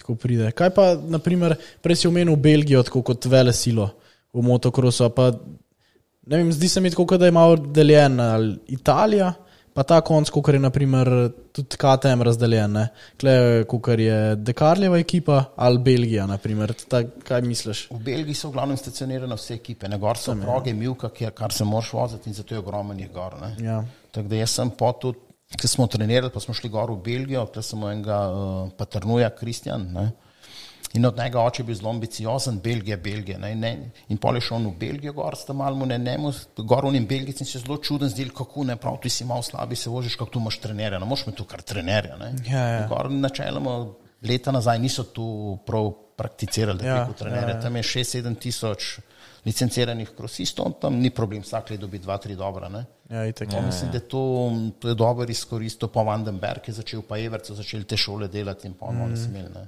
Tako pride. Kaj pa, naprimer, prej si omenil Belgijo tako kot vele silo v motokrosu, pa ne vem, zdi se mi tako, da je malo deljen Italija, pa ta konc, kot je naprimer tudi KTM razdeljen, ne. Klej, kot je Dekarljeva ekipa ali Belgija, naprimer. Kaj misliš? V Belgiji so v glavnem stacionirane vse ekipe, ne, gor so proge, Milka, kar se moraš voziti in zato je ogromen jih gor, ne. Ja. Tako da jaz sem pa tudi, ko smo trenirali, pa smo šli gor v Belgijo, tukaj smo enega Paternuja, Kristjan, ne, in od njega oče bil zelo ambiciozen, Belgija, ne, in pol je šel v Belgijo gor, sta malo gor v njim Belgijci in se zelo čuden zdel, kako ne, prav, ti si malo slabi, se vožiš, kako tu imaš trenerja, ne, moš me tu kar trenerja, ne. Ja. Gor načeloma leta nazaj niso tu prav prakticirali, da je preko trenerja, tam je 6-7 tisoč licenciranih krosistov, tam ni problem, vsak let dobi 2-3 dobra, ne. Ja, itak. Mislim, da to je dobro izkoristil, pa Vandenberg je začel, pa Everc so začeli te šole delati in pa oni so imeli, ne.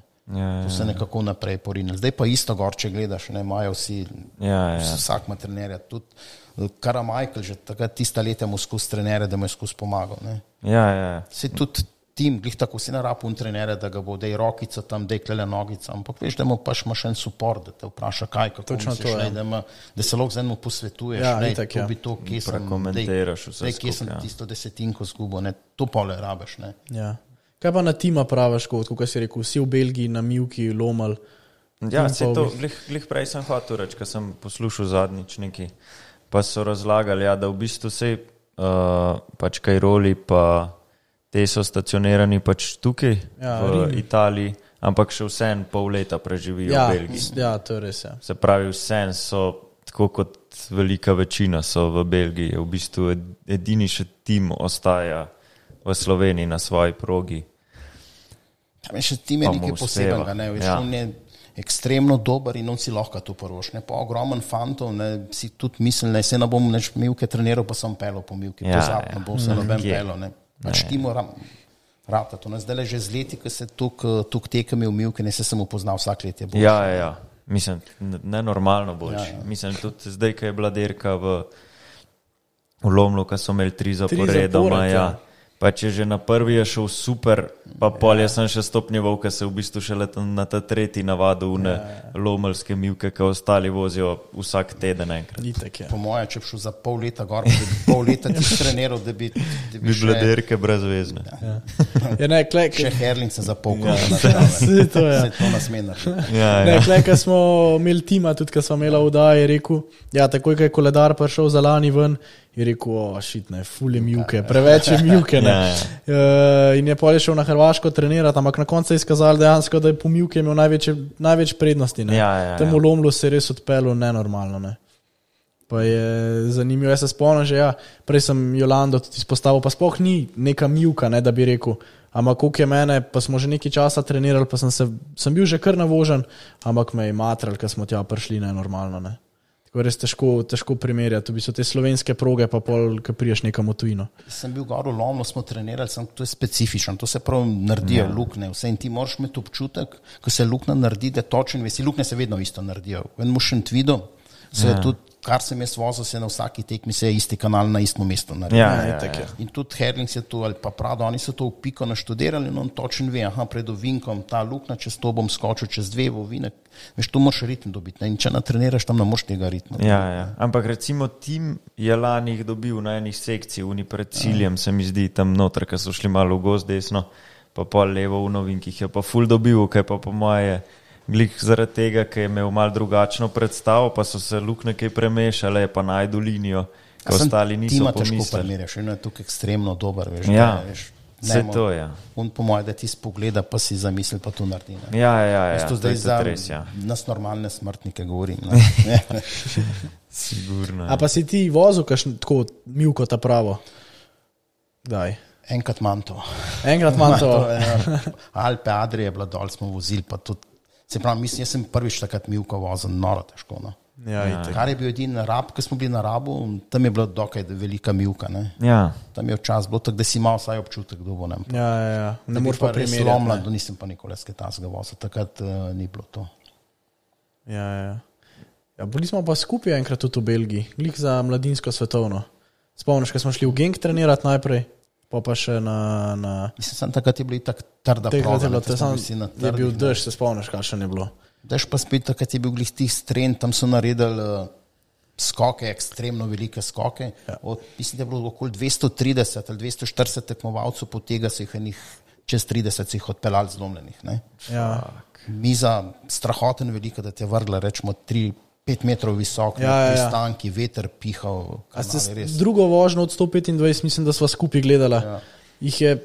To se nekako naprej porinili. Zdaj pa isto gor, če gledaš, ne, imajo vsi, vsak ima trenerja, tudi Karamajkel, že takrat tista leta mu skozi trenerja, da mu je skozi pomagal, ne. Ja. Se tudi tim, glih tako si narapun trenerja, da ga bo, da je rokica tam, da je klele nogica, ampak veš, da mu paš ima še en support, da te vpraša kaj, kako misliš, da se lahko z enim posvetuješ, to bi to, kje sem tisto desetinko zgubo, ne, to pole rabiš, ne. Ja. Kaj pa na tima praviš, kot si rekel, vsi v Belgiji, na Milki, Lomal? Ja, se to, glih prej sem hotel reči, ko sem poslušal zadnjič neki, pa so razlagali, ja, da v bistvu se pač kaj roli, pa te so stacionirani pač tukaj, v Italiji, ampak še vsem pol leta preživijo v Belgiji. Ja, to je res, ja. Se pravi, vsem so, tako kot velika večina so v Belgiji, v bistvu edini še tim ostaja v Sloveniji na svoji progi. Ja, še tim je nekaj posebenega, ne, veš, on je ekstremno dober in on si lahko to prvoš, ne, pa ogromen fantov, ne, si tudi mislil, ne, se ne bom neč Milke treniral, pa sem pelil po Milki, pozabno bom se noben pelil, ne. Pač timo rata to. Zdaj že z leti, ko se tuk tekem je v Milke, ne se sem upoznal, vsak let je boljši. Ja. Mislim, nenormalno boljši. Mislim, tudi zdaj, ko je bila derka v Lomlu, ko so imeli 3 zaporedoma. Ja. Pa če že na prvi je šel super, pa pol jaz sem še stopnjeval, ker se v bistvu šele na ta tretji navadu v lomelske mivke, ki ostali vozijo vsak teden enkrat. Po moje, če bi šel za pol leta gor, bi pol leta ti treniral, da bi bile derke brezvezne. Še Herlince za pol kola. Se to nasmena. Ko smo imeli tima, tudi ko smo imeli vdaje, je rekel, takoj, ko je koledar prišel za lani ven, je rekel, ful je mivke, preveč je mivke. In je pol šel na Hrvaško trenirati, ampak na koncu je izkazal dejansko, da je po mivke imel največ prednosti. Temu Lomlu se je res odpeljal nenormalno. Ne. Pa je zanimivo, jaz se spomnim že, prej sem Jolando tudi izpostavil, pa sploh ni neka mivka, ne, da bi rekel, ampak koliko je mene, pa smo že nekaj časa trenirali, pa sem bil že kar navožen, ampak me je matral, ker smo tja prišli nenormalno. Ne. Tako res težko primerjati, to so te slovenske proge, pa pol, ko priješ nekam v tujino. Sem bil gor v Lomlu, smo trenirali, to je specifično, to se prav naredijo lukne, vse in ti moraš imeti občutek, ko se lukna naredi, da točen vesi, lukne se vedno isto naredijo. V enem Šentvidu se je tudi, kar sem jaz vozil, se na vsaki tekmi se je isti kanal na istem mestu naredil. In tudi Herlings je to, ali pa Prado, oni so to v piko naštudirali in on točen ve, pred ovinkom ta lukna, čez to bom skočil, čez 2 ovinek. Veš, tu moraš ritem dobiti, in če natreniraš, tam ne moraš tega ritma. Ampak recimo tim je lani jih dobil na enih sekcij, oni pred ciljem, se mi zdi, tam noter, ko so šli malo v gozd desno, pa pol levo v novinkih, je pa ful dobil, kaj pa po moje glih zaradi tega, ker je imel malo drugačno predstavo, pa so se lukne kaj premešale, pa najdu linijo, ko ostali niso pomislili. Tima težko primerjaš, eno je tukaj ekstremno dober, veš. Vse to, On po moje, da ti spogleda, pa si zamisli, pa to naredi. To zdaj je res, nas normalne smrtnike govorim. Sigurno. A pa si ti vozil tako mivko ta pravo? Daj. Enkrat manj to. Alpe Adrije je bila dol, smo vozili, pa tudi se pravi, mislim, jaz sem prvič takrat mivko vozil, noro težko. No. Kar je bil edin Rab, ko smo bili na Rabu, tam je bila dokaj velika mivka. Ne. Tam je včas bilo tako, da si imel vsaj občutek, kdo bo nam. Ne moreš pa primerjati. Slomla, nisem pa nikoli sketazga vozil, takrat ni bilo to. Bili smo pa skupaj enkrat tudi v Belgiji, glih za mladinsko svetovno. Spomniš, ko smo šli v Genk trenirati najprej, pa še na... Mislim, takrat je bilo tako trda proga. Je bil dež, se spomniš, kaj še ne bilo. Dež pa spet, takrat je bil glih tih stren, tam so naredili skoke, ekstremno velike skoke. Mislim, da je bilo okoli 230 ali 240 tekmovalcev, po tega se jih čez 30 se jih odpeljali zlomljenih. Miza strahoten velika, da te vrgla, rečemo 5 metrov visok, pristanki, veter pihal. Drugo vožnjo od 125, mislim, da sva skupaj gledala. Jih je,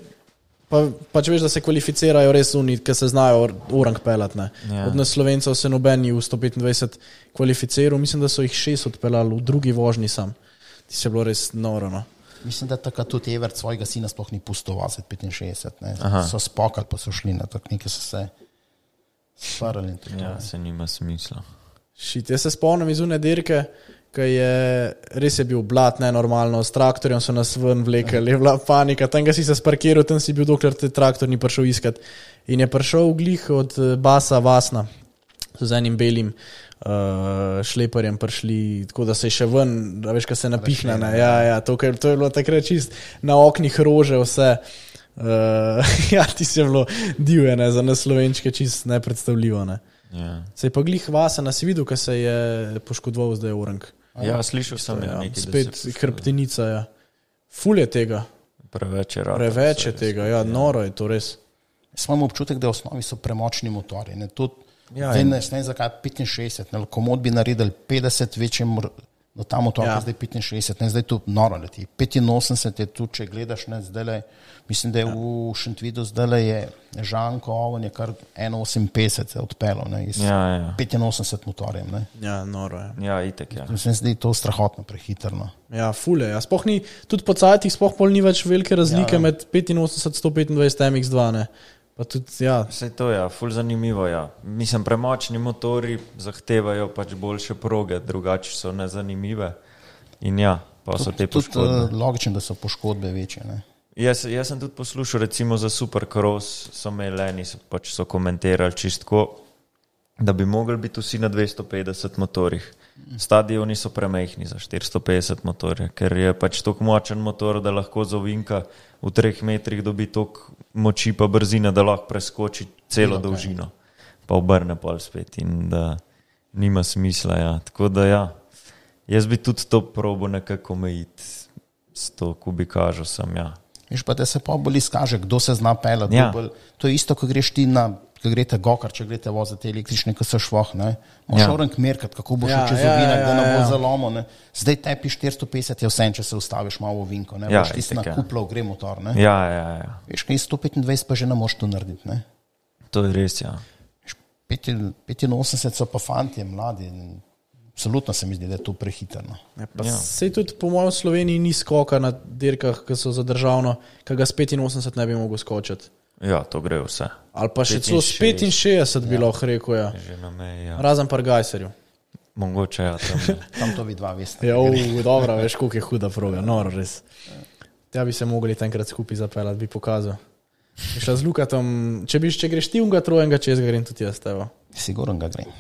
pa če veš, da se kvalificirajo res oni, ki se znajo orang pelat. Od nas Slovencev se noben v 125 kvalificiral, mislim, da so jih 6 odpeljali v drugi vožnji sam. Ti se je bilo res noro. No. Mislim, da takrat tudi Evert svojega sina sploh ni pustil voziti 65. So spokali, pa so šli na tak, nekaj so se sparali. Se nima smisla. Jaz se spomnim iz une dirke, ki je res je bil blat nenormalno, s traktorjem so nas ven vlekali, je bila panika, tam ga si se sparkiral, tam si bil, dokler te traktor ni prišel iskat. In je prišel glih od Basa Vasna, z enim belim šleparjem prišli, tako da se je še ven, veš, kaj se napihne. To je bilo takrat čist na oknih rože vse. Ti si je bilo divje, za nas Slovenčke čist nepredstavljivo. Ne. Se je pa glih Vasen, si videl, kaj se je poškodoval zdaj Orang. Slišal sem nekaj. Spet hrbtenica, Ful je tega. Preveč je tega, noro je to res. Imam občutek, da v osnovi so premočni motori. Ne vem, zakaj 65, komod bi naredili 50 večjem, no ta motor je zdaj 65, zdaj to noro leti. 85 je tu, če gledaš, zdaj mislim, da je v Šentvidu zdaj je Žanko, on je kar 1,58 se odpeljal iz 85 motorjem. Noro je. Itek. Mislim, da je to strahotno prehitrno. Ful je. Sploh ni, tudi po cajtih sploh pol ni več velike razlike med 85-125 MX2, ne. Pa tudi, Vse to je, ful zanimivo, Mislim, premočni motori zahtevajo pač boljše proge, drugače so nezanimive in pa so te poškodbe. Tudi logično, da so poškodbe večje, ne. Jaz sem tudi poslušal, recimo za Supercross so imeli pač so komentirali čistko, da bi mogli biti vsi na 250 motorjih. Stadioni so premehni za 450 motorje, ker je pač tako močen motor, da lahko z ovinka v 3 metrih dobi toliko moči pa brzine, da lahko preskoči celo dolžino, pa obrne pol spet in da nima smisla. Ja. Tako da ja, jaz bi tudi to probo nekako omejiti s to kubikažo sem, ja. Veš pa, da se pa bolj izkaže, kdo se zna pelati. Ja. To je isto, ko greš ti ko greste gokar, če greste voziti električne, ko se švoh, ne. Moš orenk merkat, kako boš čez ovinek, da ne bo zalomo, ne. Zdaj tepi 450 je vse, če se ustaviš malo v ovinko, ne. Boš ti na kuplov gre motor, ne. Ja. Veš, kaj 125 pa že ne moš to narediti, ne. To je res, ja. 85 so pa fantje, mladi, absolutno se mi zdi, da je to prehitrno. Sej tudi po mojem Sloveniji ni skoka na dirkah, ki so za državno, ki ga s 85 ne bi mogel skočiti. Ja, to gre vse. Ali pa še celo s 65 bi lahko rekel, ja. Že na meji, ja. Razen par Gajserju. Mogoče, ja. Tam to vi dva veste. Ja, dobro, veš, koliko je huda proga, noro res. Tja bi se mogli tenkrat skupaj zapeljati, bi pokazal. Šla z Lukatom, če greš ti unga trojenga, čez ga grem tudi jaz, tevo. Sigurno ga grem.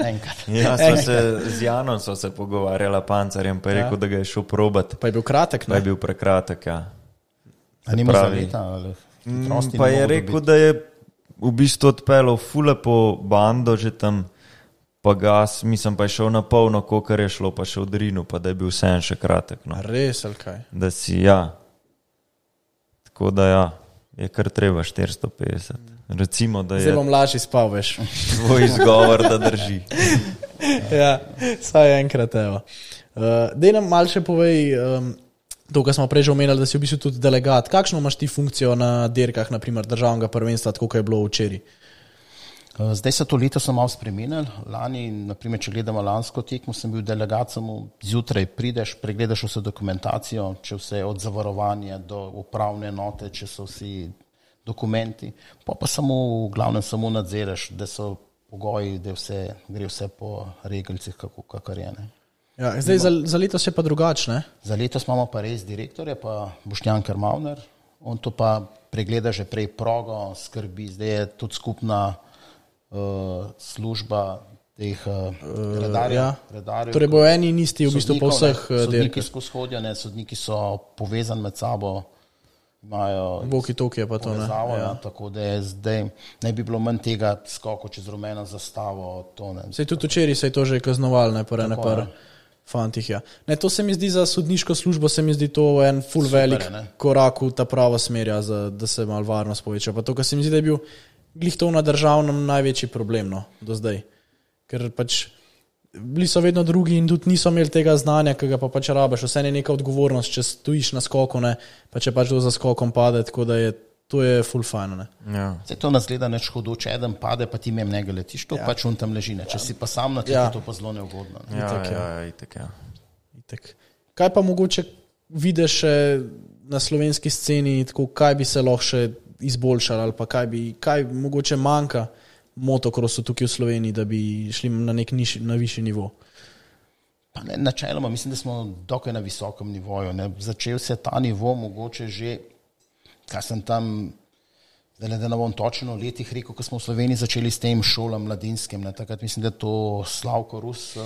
Enkrat. Ja, z Janom so se pogovarjala Pancarjem, pa je rekel, da ga je šel probat. Pa je bil kratek, ne? Pa je bil prekratek, ja. A nima za leta, ali pa je rekel, da je v bistvu odpeljal fule po bando, že tam pa gas, mislim, pa je šel na polno, kolikor je šlo, pa še v Drinu, pa da je bil vse še kratek. No. Res, ali kaj? Da si, ja. Tako da ja, je kar treba 450. Recimo, da je... Zdaj bom lažji spal, veš. Tvoj izgovor, da drži. Ja, saj enkrat, evo. Dej nam malo še povej... To, kar smo prej že omenili, da si v bistvu tudi delegat. Kakšno imaš ti funkcijo na dirkah, naprimer državnega prvenstva, tako kot je bilo včeraj? Zdaj se to leto so malo spremenili. Lani, naprimer, če gledamo lansko tekmo, sem bil delegat, samo zjutraj prideš, pregledaš vse dokumentacijo, če vse od zavarovanja do upravne enote, če so vsi dokumenti, pa samo v glavnem samo nadziraš, da so pogoji, da gre vse po regelcih, kakor je, ne. Ja, zdaj za letos je pa drugačne. Za letos imamo pa res direktorja, pa Boštjan Kermavner. On to pa pregleda že prej progo, skrbi. Zdaj je tudi skupna služba teh redarjev. Torej bojo eni in isti v bistvu po vseh dirkah. Sodniki skozi hodijo, sodniki so povezani med sabo, imajo walkie-talkie pa to, ne. Ja. Tako da je zdaj, ne bi bilo manj tega skoku čez rumeno zastavo. Sej tudi včeraj se je to že kaznoval, ne, par fantih, ja. Ne, to se mi zdi za sodniško službo, se mi zdi to en ful velik korak v ta pravo smer, da se malo varnost poveča. Pa to, kar se mi zdi, da je bil glih to na državnem največji problem, no, do zdaj. Ker pač bili so vedno drugi in tudi niso imeli tega znanja, ki ga pa pač rabiš. Vse je neka odgovornost, če stojiš na skoku, ne, pa če pač do za skokom pade, tako da to je ful fajno, ne. Ja. Zdaj to nas gleda neč hudo, če eden pade, pa ti mem njega letiš, to pač on tam leži, ne. Če si pa sam na tleh, to pa zelo neugodno. Ne. Itak. Kaj pa mogoče vidiš na slovenski sceni, tako, kaj bi se lahko še izboljšali, ali pa kaj mogoče manjka motokrosu tukaj v Sloveniji, da bi šli na višji nivo? Pa ne, načeloma, mislim, da smo dokaj na visokem nivoju, ne. Začel se ta nivo mogoče že, kaj sem tam, da ne bom točno v letih rekel, ko smo v Sloveniji začeli s tem šolam mladinskim, ne. Takrat mislim, da to Slavko Rus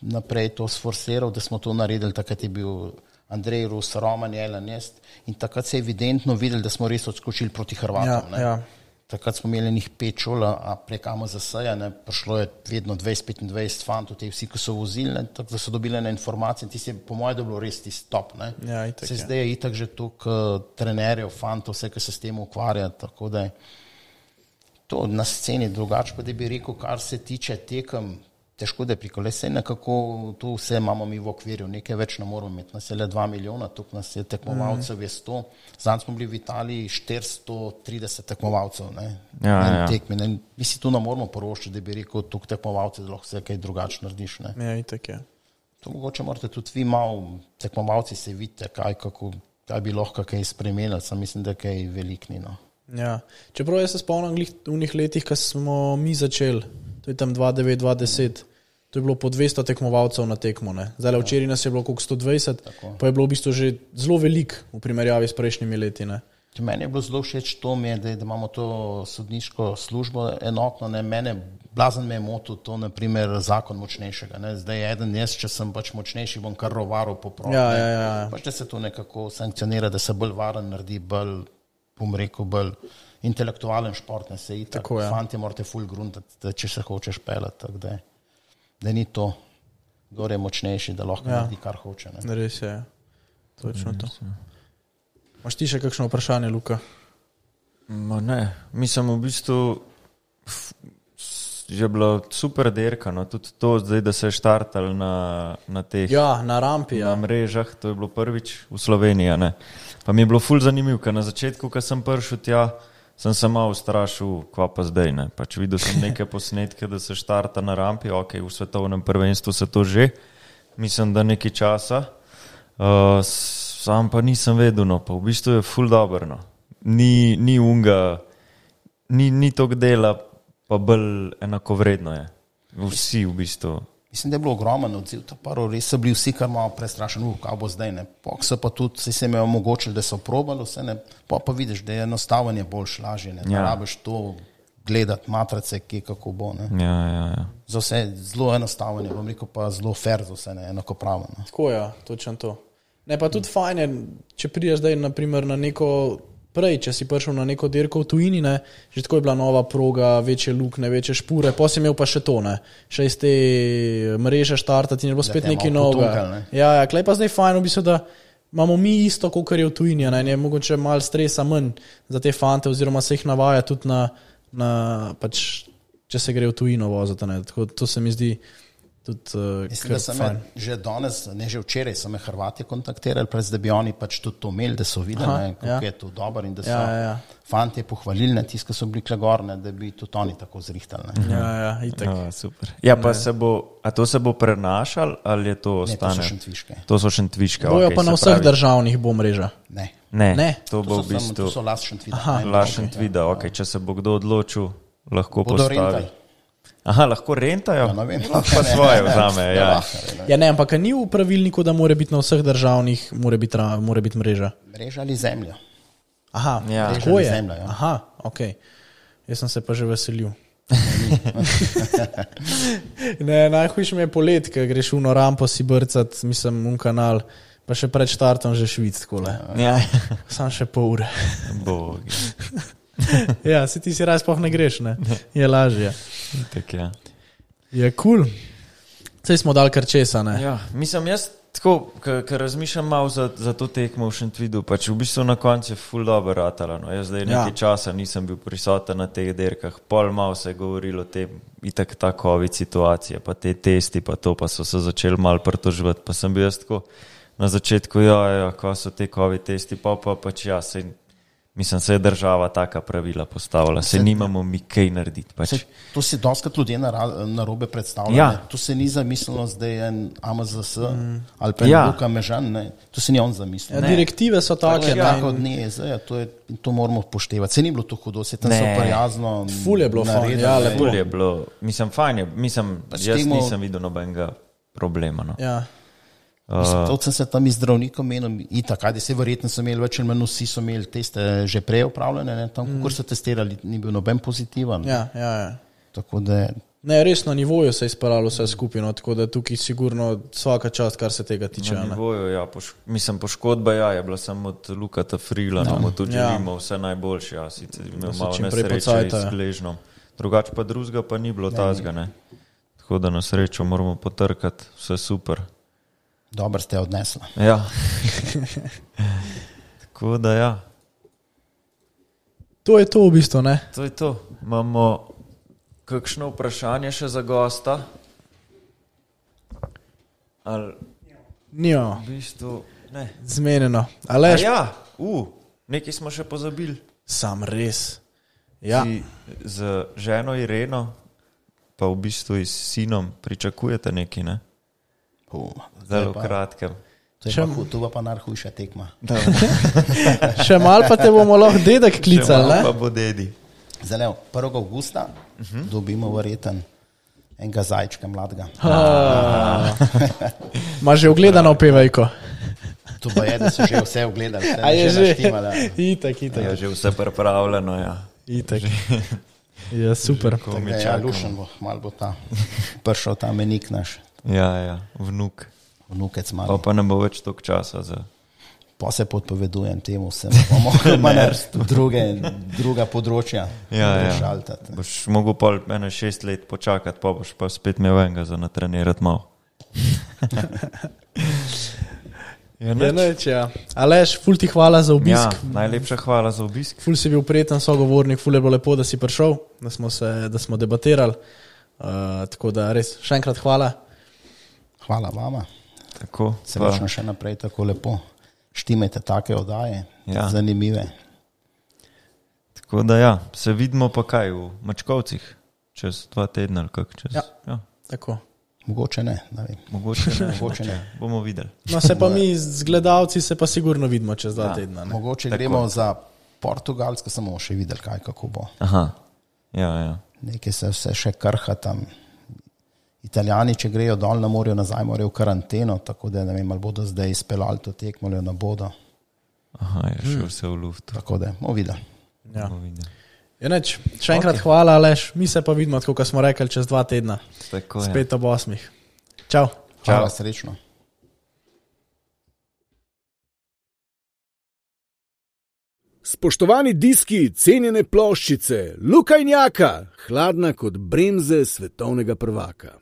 naprej to sforsiral, da smo to naredili, takrat je bil Andrej Rus, Roman Jelan, in takrat se je evidentno videli, da smo res odskočili proti Hrvatom. Ja. Takrat smo imeli njih 5 šol, a prek AMZS-ja, prišlo je vedno 20-25 fantov, te vsi, ki so vozili, ne, tako da so dobili na informacije, in ti se po mojem, da bilo res ti stop. Ne. Ja, itak, zdaj je itak že toliko trenerjev, fantov, vse, ki se s tem ukvarja, tako da je to na sceni drugače, pa da bi rekel, kar se tiče tekem, težko da je pri kolesej, nekako tu vse imamo mi v okvirju, nekaj več ne moramo imeti, nas je le 2 milijona, tukaj nas je tekmovalcev, je 100, zanj smo bili v Italiji 430 tekmovalcev, ne, tekmi, ne, mi si tu ne moramo poroščiti, da bi rekel, tukaj tekmovalce, da lahko se kaj drugače narediš, ne. Ja, itak je. To mogoče morate tudi vi malo, tekmovalci se vidite, kaj bi lahko kaj spremenili, sam mislim, da kaj velikni, no. Ja, čeprav jaz se spomnim v njih letih, ko smo mi začeli, to je tam 2009-2010, to je bilo po 200 tekmovalcev na tekmo, ne. Zdaj, včeraj nas je bilo koliko 120, pa je bilo v bistvu že zelo velik v primerjavi s prejšnjimi leti, ne. Meni je bilo zelo všeč to, da imamo to sodniško službo enotno. Mene blazen me je motil to, naprimer, zakon močnejšega. Ne? Zdaj eden jaz, če sem pač močnejši, bom kar rovaral po progi. Pač da se to nekako sankcionira, da se bolj varen naredi, bolj, bom rekel, bolj intelektualen šport. Ne? Se tako, fanti morate full gruntati, če se hočeš pelati. Da ni to, kdo je močnejši, da lahko naredi, kar hoče. Ne? Res je, točno to. Imaš ti še kakšno vprašanje, Luka? Ne, mislim v bistvu je bila super derka, no, tudi to zdaj, da se je štartal na teh na rampi, na mrežah, to je bilo prvič v Sloveniji, ne. Pa mi je bilo ful zanimiv, ker na začetku, ko sem prišel tja, sem se malo ustrašil, kva pa zdaj, ne. Pač videl sem neke posnetke, da se štarta na rampi, v svetovnem prvenstvu se to že, mislim, da nekaj časa, sam pa nisem vedel, no, pa v bistvu je ful dobro, no. Ni unga, ni tok dela, pa bolj enakovredno je. Vsi v bistvu. Mislim, da je bilo ogromen odziv, res so bili vsi kar malo prestrašeni, kaj bo zdaj, ne. So pa tudi, se jim je omogočili, da so probali vse, ne. Pa vidiš, da je enostavanje boljš, lažje, ne. Da rabiš to gledati, matrice, kako bo, ne. Ja. Za vse zelo enostavanje, bom rekel pa zelo fair za vse, ne, enakopravno. Tako točno to. Ne, pa tudi fajn je, če prideš zdaj naprimer na neko, prej, če si prišel na neko dirko v tujini, ne, že tako je bila nova proga, večje lukne, večje špure, pa si imel pa še to, ne, še iz te mreže štartati in je bilo spet nekaj novega. Ne? Ja, klej pa zdaj fajn, v bistvu, da imamo mi isto, kot je v tujini, ne, je mogoče malo stresa manj za te fante, oziroma se jih navaja tudi na pač, če se gre v tujino voziti, ne, tako to se mi zdi tudi mislim, da sem že danes, ne že včeraj, so me Hrvati kontaktirali, da bi oni pač tudi to imeli, da so videli, kako je to dobro in da so fantje pohvalili, tisti, ki so bili klegorne, da bi tudi oni tako zrihtali. Itak. Super. Ja, pa to se bo prenašal, ali je to ostane? Ne, to so šentviške. To so šentviške, bojo pa na vseh državnih bo mreža? Ne. To bo v bistvu... To so las Šentvida. Las Šentvida, če se bo kdo odločil, lahko postavi. Aha, lahko rentajo? Ja, vem, pa svoje vzame, Ja, ne, ampak ni v pravilniku, da mora biti na vseh državnih, mora biti mreža? Mreža ali zemlja. Aha, tako je. Zemlja, ja. Aha, okej. Jaz sem se pa že veselil. Ne, najhujše mi je polet, ker greš v rampo si brcat, mislim, kanal, pa še pred štartom že švic, takole. Ja. Sam še pol ure. Bogi. Ja, si ti si raz pa ne greš, ne? Je lažje. Tak je. Je cool. Saj smo dal kar česa, ne? Ja, mislim, jaz tako, ker razmišljam malo za to tekmo v Šentvidu, pač v bistvu na koncu je ful dobro ratala, no. Jaz zdaj nekaj časa nisem bil prisoten na teh derkah, pol malo se je govorilo o tem, itak ta COVID situacija, pa te testi, pa to, pa so se začeli malo pritožvati, pa sem bil jaz tako na začetku, ko so te COVID testi, pač mislim, se je država taka pravila postavila, se nimamo mi kaj narediti. Pač. To si doskrat ljudje narobe predstavlja. To se ni zamislilo zdaj en AMZS ali pa en Luka Mežan, ne. To se ni on zamislil. Direktive so take. Tako od NIEZ, to moramo poštevati. Se ni bilo to hudo, se tam so prijazno naredili. Ful je bilo fajn. Ful je bilo, mislim, fajn je. Mislim, jaz nisem videl nobenega problema. No. Ja. To sem se tam iz zdravnikom menil, itak, se verjetno so imeli več ali manj, vsi so imeli teste že prej upravljene, ne, tam, kako so testirali, ni bil noben pozitiven. Ja. Tako da... Ne, res na nivoju se je izparalo vse skupaj, no, tako da tukaj sigurno vsaka čast, kar se tega tiče. Na nivoju, ja, mislim, poškodba, je bila samo od Lukata Frila, mu tudi želimo vse najboljše, sicer imel malo nesreče iz Gležnom. Drugače pa drugega pa ni bilo tazga, ne. Tako da na srečo moramo potrkati, vse super. Dobro ste odnesla. Ja. Tako da, ja. To je to v bistvu, ne? To je to. Imamo kakšno vprašanje še za gosta? Ali... Nijo. V bistvu, ne. Zmenjeno. Aleš? nekaj smo še pozabili. Sam res. Ja. Z ženo Ireno, pa v bistvu s sinom pričakujete nekaj, ne? Zelo kratkem. To pa najhujša tekma. Še malo pa te bomo lahko dedek klicali, ne? Še malo pa bo dedi. Zdaj, 1. augusta dobimo verjeten enega zajčka mladega. Ma že ogledano pevajko. To pa je, da so že vse ogledali. A je že? Itak. Je že vse pripravljeno, ja. Itak. Ja, super. Ja, Lušen bo, malo bo prišel ta menik naš. Ja, vnuk. Vnukec malo. Pa ne bo več toliko časa za... Pa se podpovedujem temu, sem bomo druga področja šaltati. Boš mogel pa 6 let počakati, pa boš pa spet imel enega za natrenirati malo. Aleš, ful ti hvala za obisk. Ja, najlepša hvala za obisk. Ful si bil prijeten sogovornik, ful je bilo lepo, da si prišel, da smo debatirali. Tako da res, še enkrat hvala. Hvala vama. Tako. Srečno še naprej tako lepo. Štimajte take oddaje, zanimive. Tako da ja, se vidimo pa kaj v Mačkovcih, čez 2 tedna ali kak čez. Ja, tako. Mogoče ne vem. Mogoče ne. Bomo videli. No, se pa mi z gledalci se pa sigurno vidimo čez 2 tedna. Ne? Mogoče gremo za Portugalsko, samo še videli kaj, kako bo. Aha, ja. Nekaj se vse še krha tam. Italijani, če grejo dol na morju, nazaj morajo v karanteno, tako da ne vem, ali bodo zdaj izpeljali to tekmo, ali ne bodo. Aha, je še vse v luftu. Tako da, bomo videli. Ja. Še enkrat hvala, Aleš. Mi se pa vidimo, tako kot smo rekli, čez 2 tedna. Tako, spet ob 8. Čau. Hvala, srečno. Spoštovani diski, cenjene ploščice, Luka in Jaka, hladna kot bremze svetovnega prvaka.